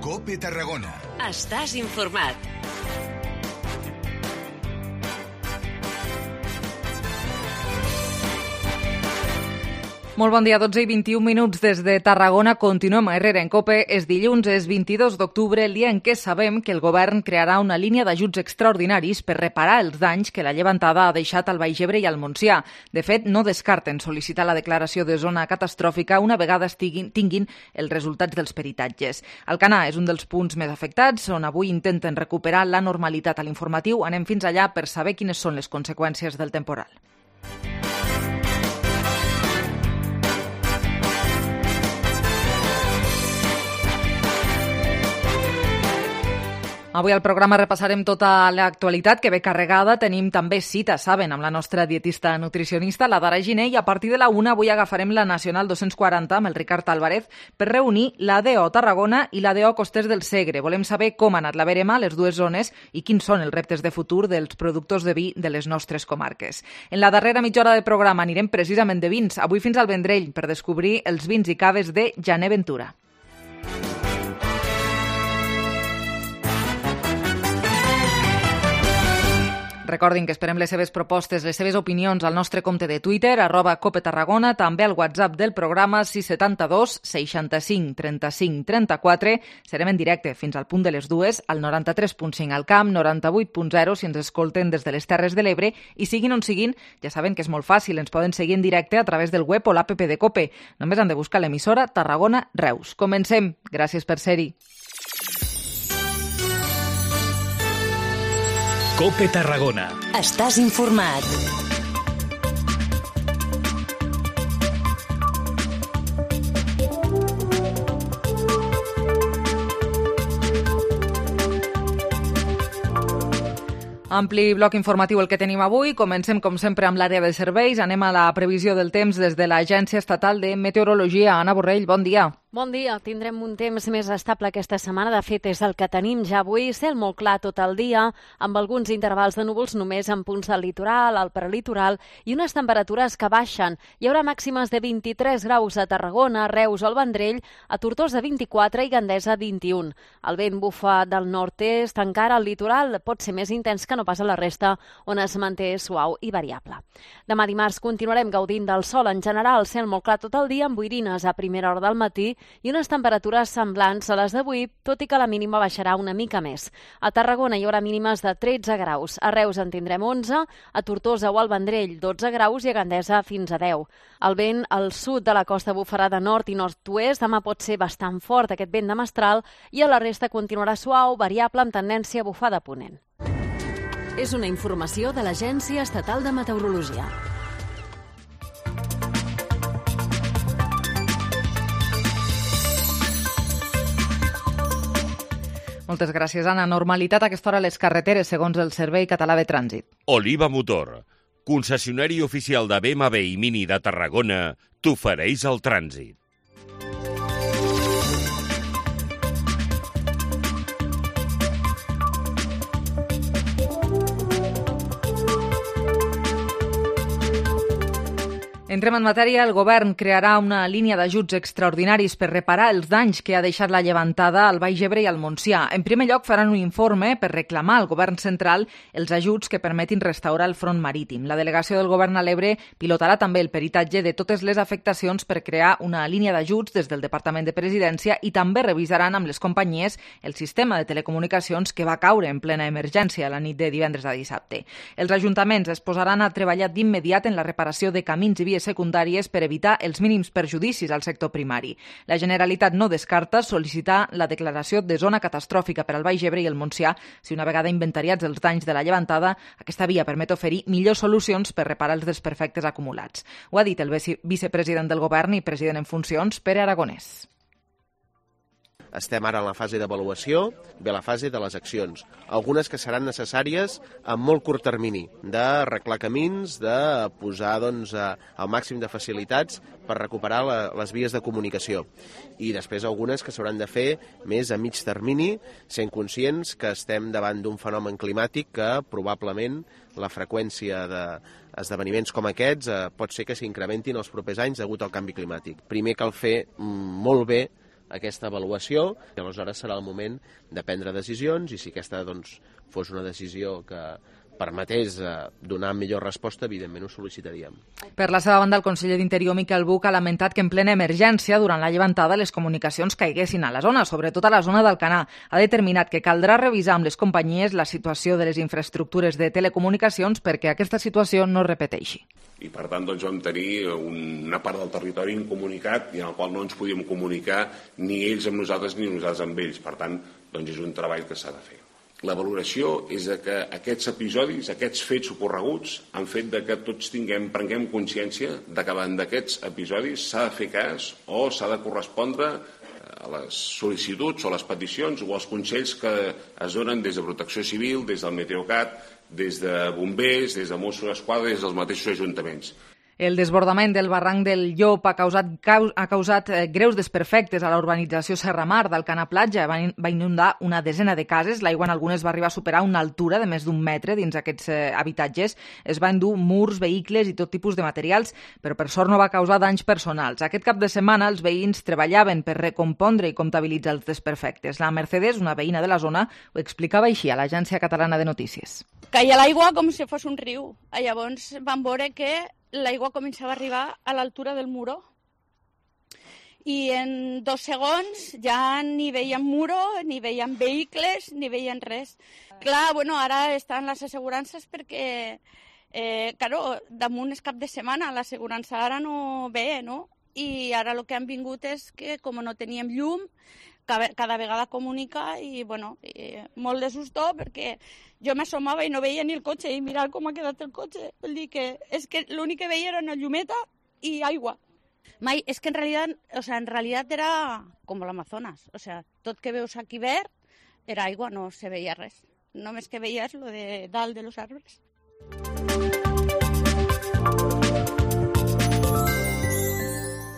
COPE Tarragona. Estàs informat. Molt bon dia, 12 i 21 minuts des de Tarragona. Continuem a Herrera en COPE. És dilluns, és 22 d'octubre, el dia en què sabem que el govern crearà una línia d'ajuts extraordinaris per reparar els danys que la llevantada ha deixat al Baix Ebre i al Montsià. De fet, no descarten sol·licitar la declaració de zona catastròfica una vegada tinguin els resultats dels peritatges. Alcanar és un dels punts més afectats, on avui intenten recuperar la normalitat a l'informatiu. Anem fins allà per saber quines són les conseqüències del temporal. Avui al programa repassarem tota l'actualitat que ve carregada. Tenim també cita, saben, amb la nostra dietista nutricionista, la Dara Giner, i a partir de la 1 avui agafarem la Nacional 240 amb el Ricard Álvarez per reunir l'ADO Tarragona i l'ADO Costers del Segre. Volem saber com ha anat la verema a les dues zones i quins són els reptes de futur dels productors de vi de les nostres comarques. En la darrera mitja hora de programa anirem precisament de vins, avui fins al Vendrell, per descobrir els vins i caves de Jané Ventura. Recordin que esperem les seves propostes, les seves opinions al nostre compte de Twitter, @COPETarragona, també al WhatsApp del programa 672 65 35 34. Serem en directe fins al punt de les 2, al 93.5 al Camp, 98.0 si ens escolten des de les Terres de l'Ebre, i siguin on siguin, ja saben que és molt fàcil, ens poden seguir en directe a través del web o l'app de COPE. Només han de buscar l'emissora Tarragona Reus. Comencem. Gràcies per ser-hi. COPE Tarragona. Estàs informat. Ampli bloc informatiu el que tenim avui. Comencem, com sempre, amb l'àrea de serveis. Anem a la previsió del temps des de l'Agència Estatal de Meteorologia. Anna Borrell, bon dia. Bon dia. Tindrem un temps més estable aquesta setmana. De fet, és el que tenim ja avui. Cel molt clar tot el dia, amb alguns intervals de núvols només en punts del litoral, al prelitoral, i unes temperatures que baixen. Hi haurà màximes de 23 graus a Tarragona, Reus o el Vendrell, a Tortosa 24 i Gandesa 21. El vent bufa del nord-est, encara al litoral pot ser més intens que no pas a la resta, on es manté suau i variable. Demà dimarts continuarem gaudint del sol en general, cel molt clar tot el dia, amb boirines a primera hora del matí i unes temperatures semblants a les d'avui, tot i que la mínima baixarà una mica més. A Tarragona hi haurà mínimes de 13 graus, a Reus en tindrem 11, a Tortosa o al Vendrell 12 graus i a Gandesa fins a 10. El vent al sud de la costa bufarà de nord i nord-oest, demà pot ser bastant fort aquest vent de mestral, i a la resta continuarà suau, variable amb tendència a bufar de ponent. És una informació de l'Agència Estatal de Meteorologia. Moltes gràcies, Anna. Normalitat a aquesta hora a les carreteres, segons el Servei Català de Trànsit. Oliva Motor, concessionari oficial de BMW i Mini de Tarragona, t'ofereix el trànsit. Entrem en matèria. El govern crearà una línia d'ajuts extraordinaris per reparar els danys que ha deixat la llevantada al Baix Ebre i al Montsià. En primer lloc, faran un informe per reclamar al govern central els ajuts que permetin restaurar el front marítim. La delegació del govern a l'Ebre pilotarà també el peritatge de totes les afectacions per crear una línia d'ajuts des del Departament de Presidència i també revisaran amb les companyies el sistema de telecomunicacions que va caure en plena emergència la nit de divendres a dissabte. Els ajuntaments es posaran a treballar d'immediat en la reparació de camins i vies secundàries per evitar els mínims perjudicis al sector primari. La Generalitat no descarta sol·licitar la declaració de zona catastròfica per al Baix Ebre i el Montsià si una vegada inventariats els danys de la llevantada, aquesta via permet oferir millors solucions per reparar els desperfectes acumulats. Ho ha dit el vicepresident del govern i president en funcions, Pere Aragonès. Estem ara en la fase d'avaluació, ve la fase de les accions. Algunes que seran necessàries a molt curt termini, d'arreglar camins, de posar el màxim de facilitats per recuperar les vies de comunicació. I després algunes que s'hauran de fer més a mig termini, sent conscients que estem davant d'un fenomen climàtic que probablement la freqüència d'esdeveniments com aquests pot ser que s'incrementin els propers anys degut al canvi climàtic. Primer cal fer molt bé aquesta avaluació i aleshores serà el moment de prendre decisions i si aquesta fos una decisió que permetés donar millor resposta, evidentment ho sol·licitaríem. Per la seva banda, el conseller d'Interior, Miquel Buch, ha lamentat que en plena emergència, durant la llevantada, les comunicacions caiguessin a la zona, sobretot a la zona d'Alcanar. Ha determinat que caldrà revisar amb les companyies la situació de les infraestructures de telecomunicacions perquè aquesta situació no es repeteixi. I per tant vam tenir una part del territori incomunicat i en el qual no ens podíem comunicar ni ells amb nosaltres ni nosaltres amb ells. Per tant, és un treball que s'ha de fer. La valoració és que aquests episodis, aquests fets ocorreguts, han fet que tots prenguem consciència de que davant d'aquests episodis s'ha de fer cas o s'ha de correspondre a les sol·licituds o les peticions o als consells que es donen des de Protecció Civil, des del Meteocat, des de bombers, des de Mossos d'Esquadra, des dels mateixos ajuntaments. El desbordament del barranc del Llop ha causat greus desperfectes a la urbanització Serramar d'Alcanar Platja. Va inundar una desena de cases. L'aigua en algunes va arribar a superar una altura de més d'1 metre dins aquests habitatges. Es va endur murs, vehicles i tot tipus de materials, però per sort no va causar danys personals. Aquest cap de setmana els veïns treballaven per recompondre i comptabilitzar els desperfectes. La Mercedes, una veïna de la zona, ho explicava així a l'Agència Catalana de Notícies. Caia l'aigua com si fos un riu. Llavors vam veure que l'aigua començava a arribar a l'altura del muro i en 2 segons ja ni veiem muro, ni veiem vehicles, ni veiem res. Clar, ara estan les assegurances perquè, damunt és cap de setmana, l'assegurança ara no ve, no? I ara el que han vingut és que, com no teníem llum, cada vegada comunica i, molt de susto perquè jo m'assomava i no veia ni el cotxe i mirar com ha quedat el cotxe. Vull dir que és que l'únic que veia era una llumeta i aigua. És que en realitat era com l'Amazonas. Tot que veus aquí verd era aigua, no se veia res. Només que veies lo de dalt de los arbres.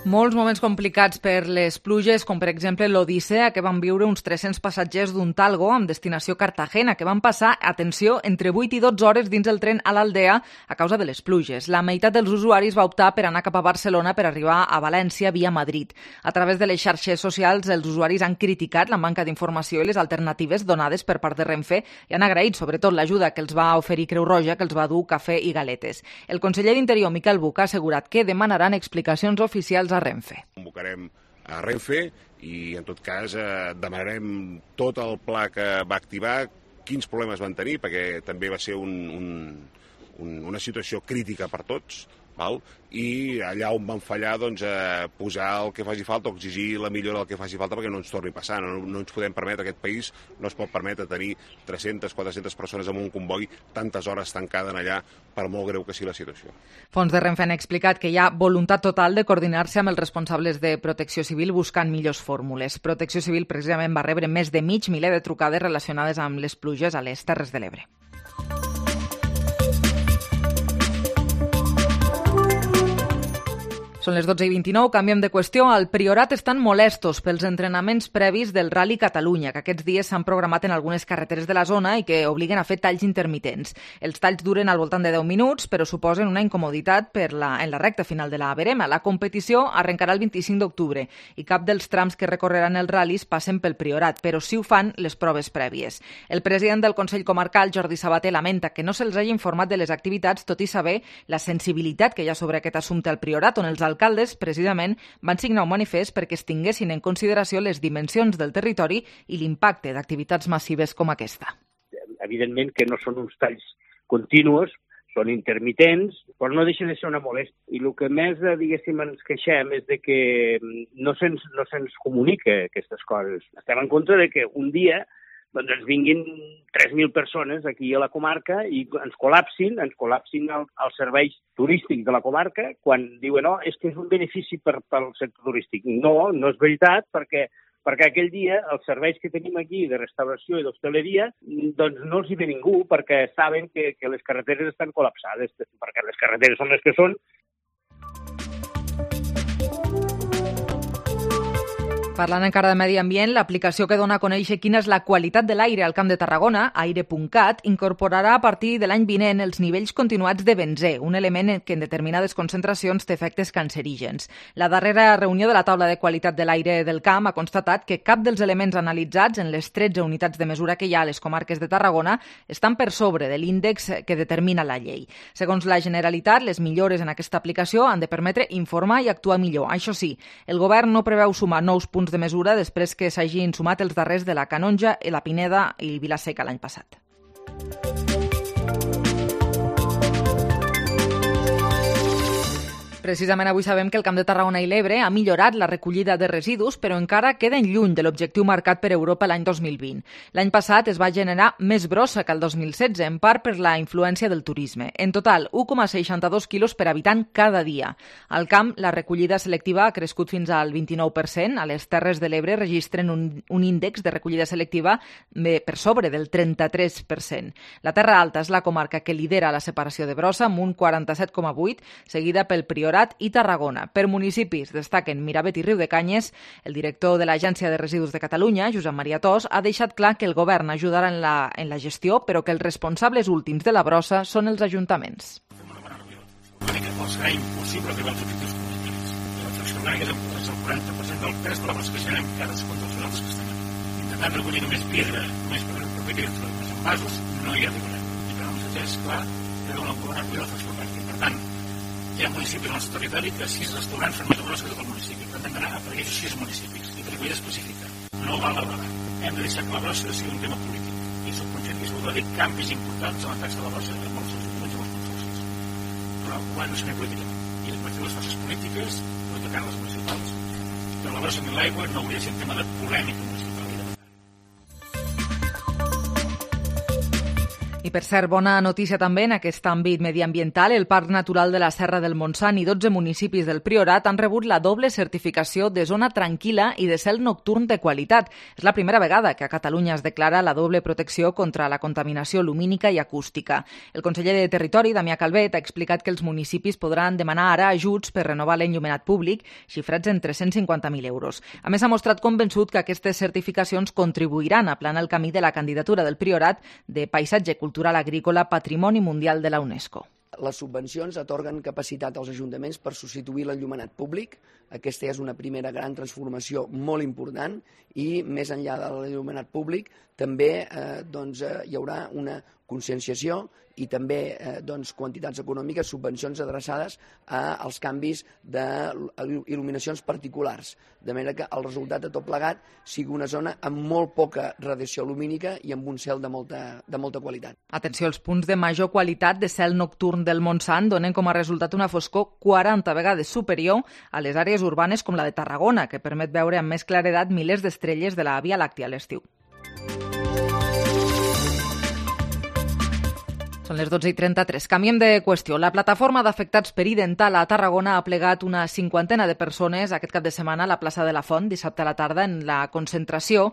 Molts moments complicats per les pluges, com per exemple l'Odissea, que van viure uns 300 passatgers d'un Talgo amb destinació Cartagena, que van passar, atenció, entre 8 i 12 hores dins el tren a l'Aldea a causa de les pluges. La meitat dels usuaris va optar per anar cap a Barcelona per arribar a València via Madrid. A través de les xarxes socials, els usuaris han criticat la manca d'informació i les alternatives donades per part de Renfe i han agraït sobretot l'ajuda que els va oferir Creu Roja, que els va dur cafè i galetes. El conseller d'Interior, Miquel Buch, ha assegurat que demanaran explicacions oficials a Renfe. Convocarem a Renfe i, en tot cas, demanarem tot el pla que va activar, quins problemes van tenir, perquè també va ser una situació crítica per tots, val? I allà on van fallar, posar el que faci falta o exigir la millora del que faci falta perquè no ens torni a passar. No ens podem permetre, aquest país no es pot permetre tenir 300, 400 persones en un comboi tantes hores tancades allà, per molt greu que sigui la situació. Fons de Renfe han explicat que hi ha voluntat total de coordinar-se amb els responsables de Protecció Civil buscant millors fórmules. Protecció Civil precisament va rebre més de 500 miler de trucades relacionades amb les pluges a les Terres de l'Ebre. Són les 12:29, canviem de qüestió. Al Priorat estan molestos pels entrenaments previs del Rally Catalunya, que aquests dies s'han programat en algunes carreteres de la zona i que obliguen a fer talls intermitents. Els talls duren al voltant de 10 minuts, però suposen una incomoditat en la recta final de la Verema. La competició arrencarà el 25 d'octubre i cap dels trams que recorreran els ral·lis passen pel Priorat, però sí ho fan les proves prèvies. El president del Consell Comarcal, Jordi Sabater, lamenta que no se'ls hagi informat de les activitats, tot i saber la sensibilitat que hi ha sobre aquest assumpte al Priorat, on els alcaldes, precisament, van signar un manifest perquè es tinguessin en consideració les dimensions del territori i l'impacte d'activitats massives com aquesta. Evidentment que no són uns talls continus, són intermitents, però no deixa de ser una molèstia. I el que més, diguéssim, ens queixem és de que no se'ns comunica aquestes coses. Estem en contra de que un dia ens vinguin 3.000 persones aquí a la comarca i ens col·lapsin els serveis turístics de la comarca quan diuen és que és un benefici pel sector turístic. No és veritat, perquè aquell dia els serveis que tenim aquí de restauració i d'hostaleria no els hi ve ningú perquè saben que les carreteres estan col·lapsades, perquè les carreteres són les que són. Parlant encara de medi ambient, l'aplicació que dona a conèixer quina és la qualitat de l'aire al Camp de Tarragona, aire.cat, incorporarà a partir de l'any vinent els nivells continuats de benzè, un element que en determinades concentracions té efectes cancerígens. La darrera reunió de la taula de qualitat de l'aire del camp ha constatat que cap dels elements analitzats en les 13 unitats de mesura que hi ha a les comarques de Tarragona estan per sobre de l'índex que determina la llei. Segons la Generalitat, les millores en aquesta aplicació han de permetre informar i actuar millor. Això sí, el govern no preveu sumar nous punts de mesura després que s'hagin sumat els darrers de la Canonja, la Pineda i Vila-seca l'any passat. Precisament avui sabem que el Camp de Tarragona i l'Ebre ha millorat la recollida de residus, però encara queden lluny de l'objectiu marcat per Europa l'any 2020. L'any passat es va generar més brossa que el 2016, en part per la influència del turisme. En total, 1,62 quilos per habitant cada dia. Al camp, la recollida selectiva ha crescut fins al 29%. A les Terres de l'Ebre registren un índex de recollida selectiva per sobre del 33%. La Terra Alta és la comarca que lidera la separació de brossa amb un 47,8%, seguida pel Priorat i Tarragona. Per municipis destaquen Miravet i Riudecanyes. El director de l'Agència de Residus de Catalunya, Josep Maria Tos, ha deixat clar que el govern ajudarà en la gestió, però que els responsables últims de la brossa són els ajuntaments. Serà impossible arribar als objectius comunicatius. La fracció orgànica és el 40% del pes de la brossa que generem cadascun dels nosaltres que estem aquí. Intentant recollir només pedra, només per recollir els envasos, no hi arribarem. I per nosaltres és clar que deuen recuperar la fracció orgànica. Per tant, hi ha municipis al nostre territori que 6 restaurants fan més brossa que tot el municipi. Per tant, hem d'anar per aquells 6 municipis i per recollida específica. No val la vegada. Hem de deixar que la brossa sigui un tema polític. I soc conscient que s'ha de dir canvis importants en la taxa de la brossa en molts ajuntaments i molts consorcis. Però ho han de ser política. I hem de fer les forces polítiques, no tocar les municipals. Però la brossa ni l'aigua no hauria de ser un tema de polèmica municipal. I per cert, bona notícia també en aquest àmbit mediambiental. El Parc Natural de la Serra del Montsant i 12 municipis del Priorat han rebut la doble certificació de zona tranquil·la i de cel nocturn de qualitat. És la primera vegada que a Catalunya es declara la doble protecció contra la contaminació lumínica i acústica. El conseller de Territori, Damià Calvet, ha explicat que els municipis podran demanar ara ajuts per renovar l'enllumenat públic, xifrats en 350.000 euros. A més, ha mostrat convençut que aquestes certificacions contribuiran a aplanar el camí de la candidatura del Priorat de paisatge cultural agrícola Patrimoni Mundial de la UNESCO. Les subvencions atorguen capacitat als ajuntaments per substituir l'enllumenat públic. Aquesta és una primera gran transformació molt important i més enllà de l'enllumenat públic també hi haurà una conscienciació i també quantitats econòmiques, subvencions adreçades als canvis d'il·luminacions particulars, de manera que el resultat de tot plegat sigui una zona amb molt poca radiació lumínica i amb un cel de molta qualitat. Atenció, els punts de major qualitat de cel nocturn del Montsant donen com a resultat una foscor 40 vegades superior a les àrees urbanes com la de Tarragona, que permet veure amb més claredat milers d'estrelles de la Via Làctia a l'estiu. Són les 12:33. Canviem de qüestió. La plataforma d'afectats per Idental a Tarragona ha plegat una 50ena de persones aquest cap de setmana a la plaça de la Font, dissabte a la tarda, en la concentració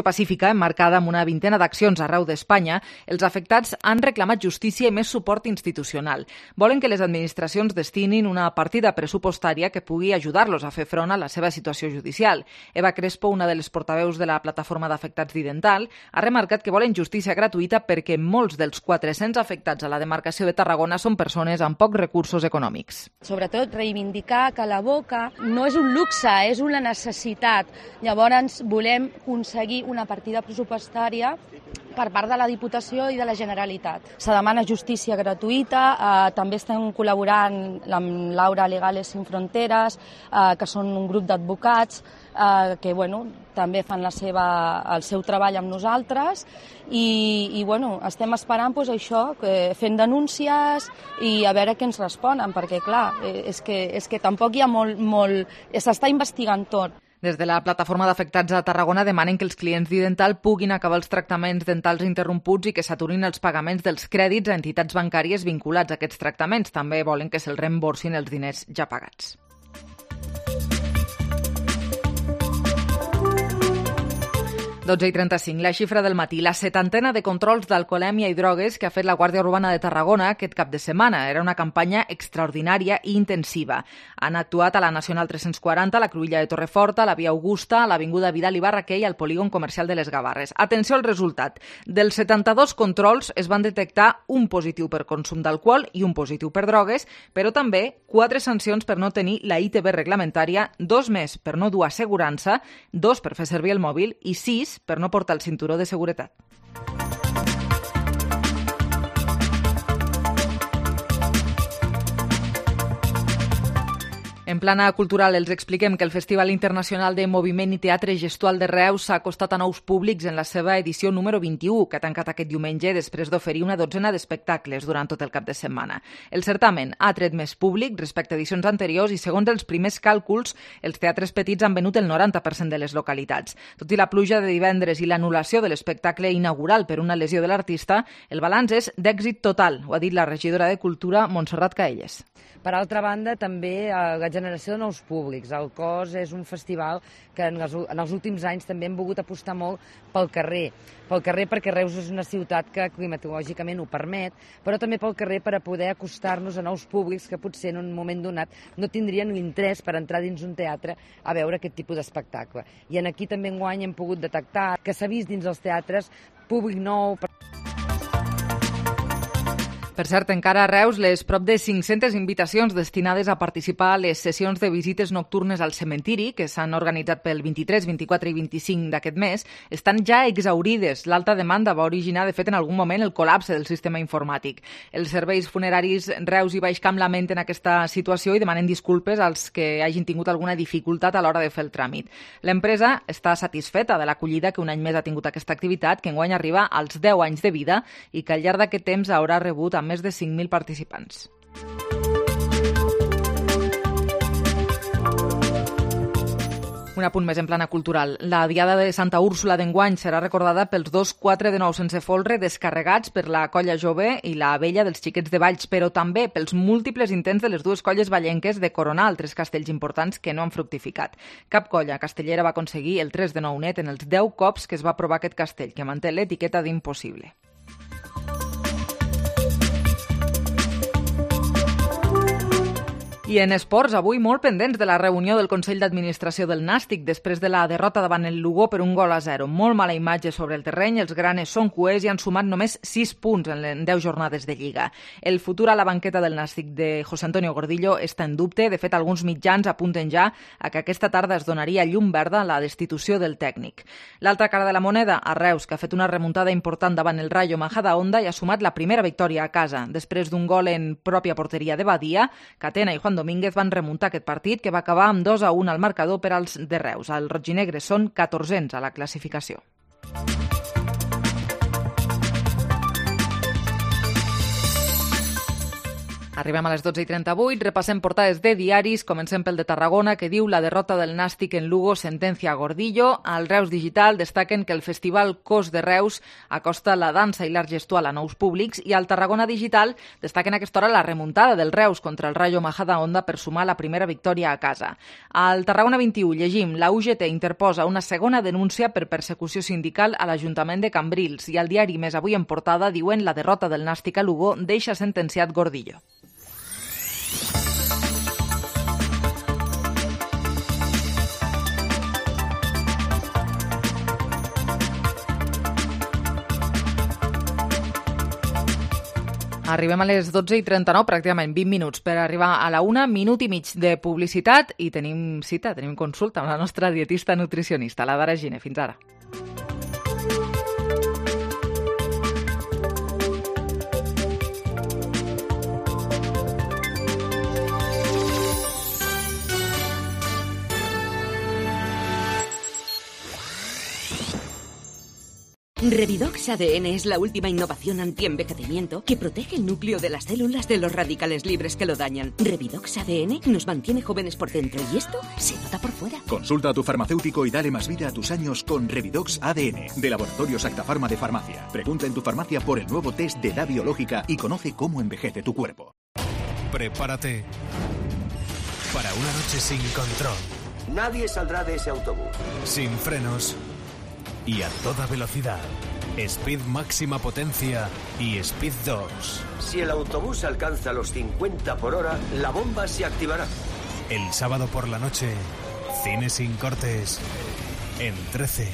pacífica emmarcada amb una vintena d'accions arreu d'Espanya. Els afectats han reclamat justícia i més suport institucional. Volen que les administracions destinin una partida pressupostària que pugui ajudar-los a fer front a la seva situació judicial. Eva Crespo, una de les portaveus de la plataforma d'afectats d'Idental, ha remarcat que volen justícia gratuïta perquè molts dels 400 afectats a la demarcació de Tarragona són persones amb pocs recursos econòmics. Sobretot reivindicar que la boca no és un luxe, és una necessitat. Llavors volem aconseguir una partida pressupostària per part de la Diputació i de la Generalitat. Se demana justícia gratuïta, també estem col·laborant amb Laura Legales Sin Fronteres, que són un grup d'advocats que també fan el seu treball amb nosaltres i estem esperant això, fent denúncies i a veure què ens responen, perquè clar, és que tampoc hi ha molt s'està investigant tot. Des de la plataforma d'afectats a Tarragona demanen que els clients d'Idental puguin acabar els tractaments dentals interromputs i que s'aturin els pagaments dels crèdits a entitats bancàries vinculats a aquests tractaments. També volen que se'ls reemborsin els diners ja pagats. 12:35, la xifra del matí. La 70ena de controls d'alcoholèmia i drogues que ha fet la Guàrdia Urbana de Tarragona aquest cap de setmana. Era una campanya extraordinària i intensiva. Han actuat a la Nacional 340, a la Cruïlla de Torreforta, a la Via Augusta, a l'Avinguda Vidal i Barraquer i al polígon comercial de les Gavarres. Atenció al resultat. Dels 72 controls es van detectar un positiu per consum d'alcohol i un positiu per drogues, però també 4 sancions per no tenir la ITB reglamentària, 2 més per no dur assegurança, 2 per fer servir el mòbil i 6 per no portar el cinturó de seguretat. En plana cultural els expliquem que el Festival Internacional de Moviment i Teatre Gestual de Reus s'ha acostat a nous públics en la seva edició número 21, que ha tancat aquest diumenge després d'oferir una dotzena d'espectacles durant tot el cap de setmana. El certamen ha tret més públic respecte a edicions anteriors i, segons els primers càlculs, els teatres petits han venut el 90% de les localitats. Tot i la pluja de divendres i l'anul·lació de l'espectacle inaugural per una lesió de l'artista, el balanç és d'èxit total, ho ha dit la regidora de Cultura, Montserrat Caelles. Per altra banda, també la generació de nous públics. El COS és un festival que en els últims anys també hem volgut apostar molt pel carrer perquè Reus és una ciutat que climatològicament ho permet, però també pel carrer per a poder acostar-nos a nous públics que potser en un moment donat no tindrien l'interès per entrar dins un teatre a veure aquest tipus d'espectacle. I aquí també enguany hem pogut detectar que s'ha vist dins els teatres públic nou. Per cert, encara a Reus, les prop de 500 invitacions destinades a participar a les sessions de visites nocturnes al cementiri, que s'han organitzat pel 23, 24 i 25 d'aquest mes, estan ja exaurides. L'alta demanda va originar, de fet, en algun moment el col·lapse del sistema informàtic. Els serveis funeraris Reus i Baixcamp lamenten aquesta situació i demanen disculpes als que hagin tingut alguna dificultat a l'hora de fer el tràmit. L'empresa està satisfeta de l'acollida que un any més ha tingut aquesta activitat, que enguany arriba als 10 anys de vida i que al llarg d'aquest temps haurà rebut més de 5.000 participants. Un apunt més en plana cultural. La Diada de Santa Úrsula d'enguany serà recordada pels 2 4 de 9 sense folre descarregats per la colla jove i la vella dels Xiquets de Valls, però també pels múltiples intents de les dues colles vallenques de coronar altres castells importants que no han fructificat. Cap colla castellera va aconseguir el 3 de 9 net en els 10 cops que es va provar aquest castell, que manté l'etiqueta d'impossible. I en esports, avui molt pendents de la reunió del Consell d'Administració del Nàstic després de la derrota davant el Lugo per 1-0. Molt mala imatge sobre el terreny, els granes són cuers i han sumat només 6 punts en 10 jornades de Lliga. El futur a la banqueta del Nàstic de José Antonio Gordillo està en dubte. De fet, alguns mitjans apunten ja a que aquesta tarda es donaria llum verda a la destitució del tècnic. L'altra cara de la moneda, a Reus, que ha fet una remuntada important davant el Rayo Majadahonda i ha sumat la primera victòria a casa. Després d'un gol en pròpia porteria de Badia, Catena i Juan Domínguez van remuntar aquest partit, que va acabar amb 2-1 al marcador per als de Reus. Els rojinegres són 14ens a la classificació. Arribem a les 12:38, repassem portades de diaris, comencem pel de Tarragona, que diu la derrota del Nàstic en Lugo sentencia a Gordillo. Al Reus Digital destaquen que el Festival Cos de Reus acosta la dansa i l'art gestual a nous públics, i al Tarragona Digital destaquen a aquesta hora la remuntada del Reus contra el Rayo Majadahonda per sumar la primera victòria a casa. Al Tarragona 21 llegim la UGT interposa una segona denúncia per persecució sindical a l'Ajuntament de Cambrils, i al diari Més Avui en portada diuen la derrota del Nàstic a Lugo deixa sentenciat Gordillo. Arribem a les 12:39, pràcticament 20 minuts per arribar a la 1, minut i mig de publicitat i tenim cita, tenim consulta amb la nostra dietista nutricionista, la Dara Gine. Fins ara. Revidox ADN es la última innovación antienvejecimiento que protege el núcleo de las células de los radicales libres que lo dañan. Revidox ADN nos mantiene jóvenes por dentro y esto se nota por fuera. Consulta a tu farmacéutico y dale más vida a tus años con Revidox ADN, de Laboratorios Acta Pharma de Farmacia. Pregunta en tu farmacia por el nuevo test de edad biológica y conoce cómo envejece tu cuerpo. Prepárate para una noche sin control. Nadie saldrá de ese autobús. Sin frenos. y a toda velocidad. Speed máxima potencia y Speed 2. Si el autobús alcanza los 50 por hora, la bomba se activará. El sábado por la noche, cine sin cortes en 13.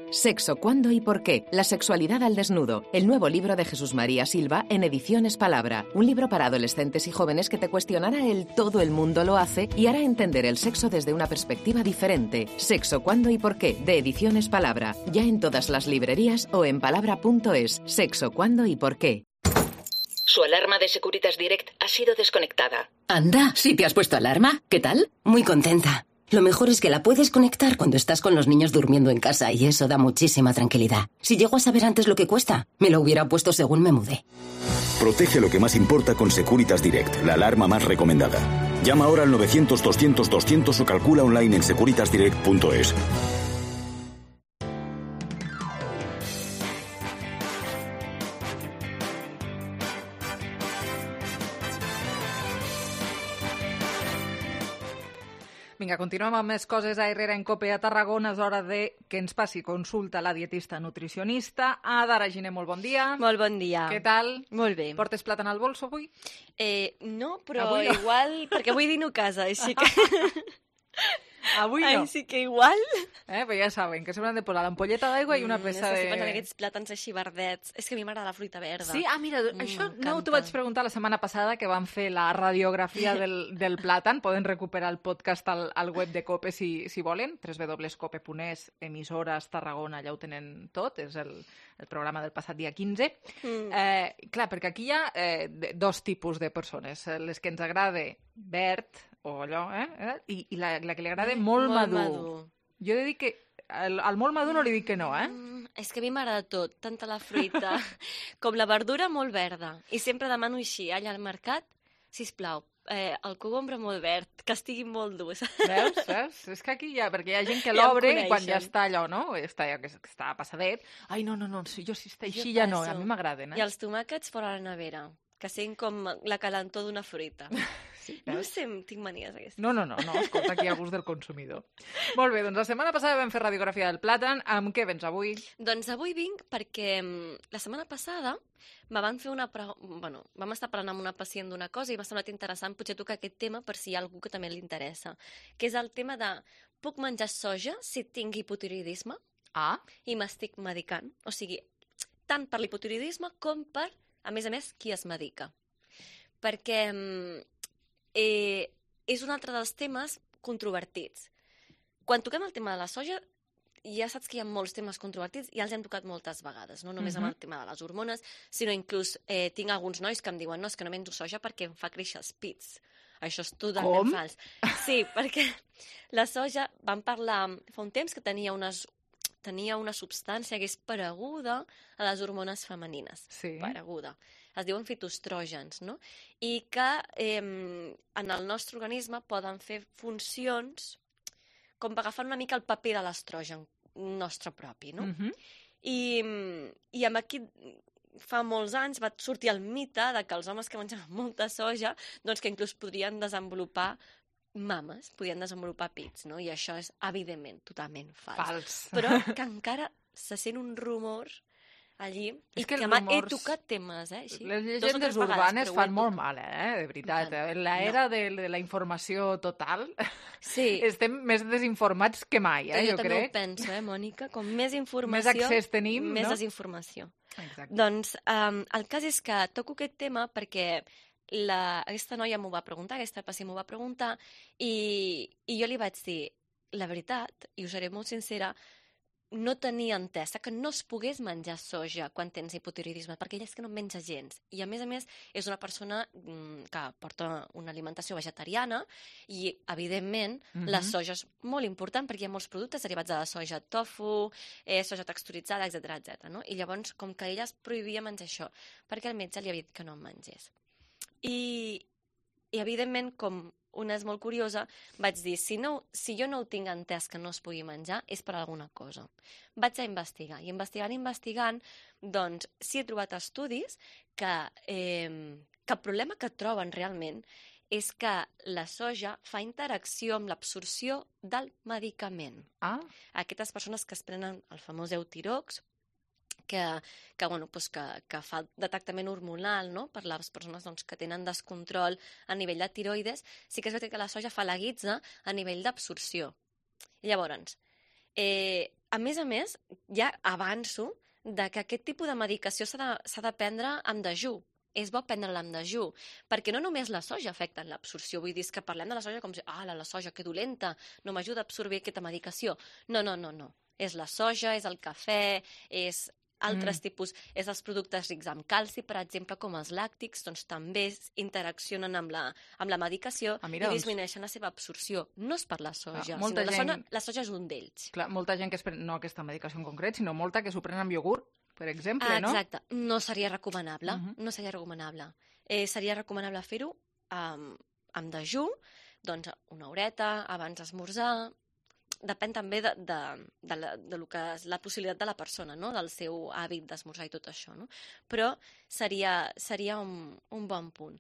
Sexo, cuándo y por qué. La sexualidad al desnudo. El nuevo libro de Jesús María Silva en Ediciones Palabra. Un libro para adolescentes y jóvenes que te cuestionará el todo el mundo lo hace y hará entender el sexo desde una perspectiva diferente. Sexo, cuándo y por qué. De Ediciones Palabra. Ya en todas las librerías o en palabra.es. Sexo, cuándo y por qué. Su alarma de Securitas Direct ha sido desconectada. Anda, ¿sí te has puesto alarma? ¿Qué tal? Muy contenta. Lo mejor es que la puedes conectar cuando estás con los niños durmiendo en casa y eso da muchísima tranquilidad. Si llego a saber antes lo que cuesta, me lo hubiera puesto según me mudé. Protege lo que más importa con Securitas Direct, la alarma más recomendada. Llama ahora al 900-200-200 o calcula online en securitasdirect.es. Vinga, continuem amb més coses a Herrera en Cope a Tarragona. És hora de que ens passi consulta la dietista nutricionista. Adara Giner, molt bon dia. Molt bon dia. Què tal? Molt bé. Portes plàtan al bolso avui? No, però avui no. Igual, perquè avui dino a casa, així que... Avui no. Així que igual... Però ja saben que s'hauran de posar l'ampolleta d'aigua i una peça de... Estic pensant en aquests plàtans així verdets. És que a mi m'agrada la fruita verda. Sí? Mira, això no t'ho vaig preguntar la setmana passada, que vam fer la radiografia del plàtan. Poden recuperar el podcast al web de COPE si volen, www.cope.es, emissores Tarragona, allà ho tenen tot, és el programa del passat dia 15. Clar, perquè aquí hi ha dos tipus de persones, les que ens agrada verd, o allò, i la que li agrada molt madur. Jo he de dir que al molt madur no li dic que no, És que a mi m'agrada tot, tant la fruita com la verdura molt verda. I sempre demano així, allà al mercat, sisplau, el cogombre molt verd, que estigui molt dur. Veus? És que aquí perquè hi ha gent que l'obre i quan ja està allò, no? Està passadet. Ai, no, jo si està així ja no, a mi m'agraden. I els tomàquets fora la nevera, que siguin com la calentor d'una fruita. No sé, tinc manies aquestes. No, escolta, aquí hi ha gust del consumidor. Molt bé, doncs la setmana passada vam fer radiografia del plàtan. Amb què vens avui? Doncs avui vinc perquè la setmana passada me van fer vam estar parlant amb una pacient d'una cosa i m'ha semblat interessant potser tocar aquest tema per si hi ha algú que també li interessa, que és el tema de puc menjar soja si tinc hipotiroïdisme i m'estic medicant. O sigui, tant per l'hipotiroïdisme com per, a més, qui es medica. Perquè és un altre dels temes controvertits. Quan toquem el tema de la soja, ja saps que hi ha molts temes controvertits i els hem tocat moltes vegades, no només amb el tema de les hormones, sinó inclús tinc alguns nois que em diuen no, és que no menjo soja perquè em fa créixer els pits. Això és totalment fals. Sí, perquè la soja, vam parlar fa un temps que tenia una substància que és pareguda a les hormones femenines. Sí. Pareguda. Es diuen fitoestrògens, no? I que en el nostre organisme poden fer funcions com per agafar una mica el paper de l'estrogen nostre propi, no? I amb aquí fa molts anys va sortir el mite de que els homes que menjaven molta soja, doncs que inclús podrien desenvolupar mames, podien desenvolupar pits, no? I això és, evidentment, totalment fals. Però que encara se sent un rumor allí, i que he tocat temes, així. Les llegendes urbanes fan molt mal, de veritat. En l'era de la informació total estem més desinformats que mai, jo crec. Jo també ho penso, Mònica, com més informació, més accés tenim, més desinformació. Doncs el cas és que toco aquest tema perquè aquesta noia m'ho va preguntar, aquesta pacient m'ho va preguntar, i jo li vaig dir, la veritat, i us seré molt sincera, no tenia entesa que no es pogués menjar soja quan tens hipotiroïdisme, perquè ella és que no menja gens. I a més, és una persona que porta una alimentació vegetariana i, evidentment, la soja és molt important perquè hi ha molts productes derivats de la soja, tofu, soja texturitzada, etc. No? I llavors, com que ella es prohibia menjar això, perquè el metge li havia dit que no en mengés. I evidentment, com una és molt curiosa, vaig dir, si jo no ho tinc entès que no es pugui menjar, és per alguna cosa. Vaig a investigar, i investigant, doncs sí he trobat estudis que el problema que troben realment és que la soja fa interacció amb l'absorció del medicament. Aquestes persones que es prenen el famós Eutirox, que fa de tractament hormonal, no?, per les persones que tenen descontrol a nivell de tiroides, sí que és veritat que la soja fa la guitza a nivell d'absorció. Llavors, a més, ja avanço que aquest tipus de medicació s'ha de prendre amb dejú. És bo prendre-la amb dejú, perquè no només la soja afecta en l'absorció. Vull dir, és que parlem de la soja com si, la soja, que dolenta, no m'ajuda a absorbir aquesta medicació. No. És la soja, és el cafè, és altres tipus, és els productes rics en calci, per exemple, com els làctics, doncs també interaccionen amb la medicació i disminueixen la seva absorció. No és per la soja, sinó la soja és un d'ells. Clar, molta gent que es pren, no aquesta medicació en concret, sinó molta que s'ho pren amb iogurt, per exemple, no? Exacte, no seria recomanable, no seria recomanable. Seria recomanable fer-ho amb dejú, doncs una horeta, abans d'esmorzar. Depèn també de lo que és la possibilitat de la persona, no?, del seu hàbit d'esmorzar i tot això, no? Però seria un bon punt.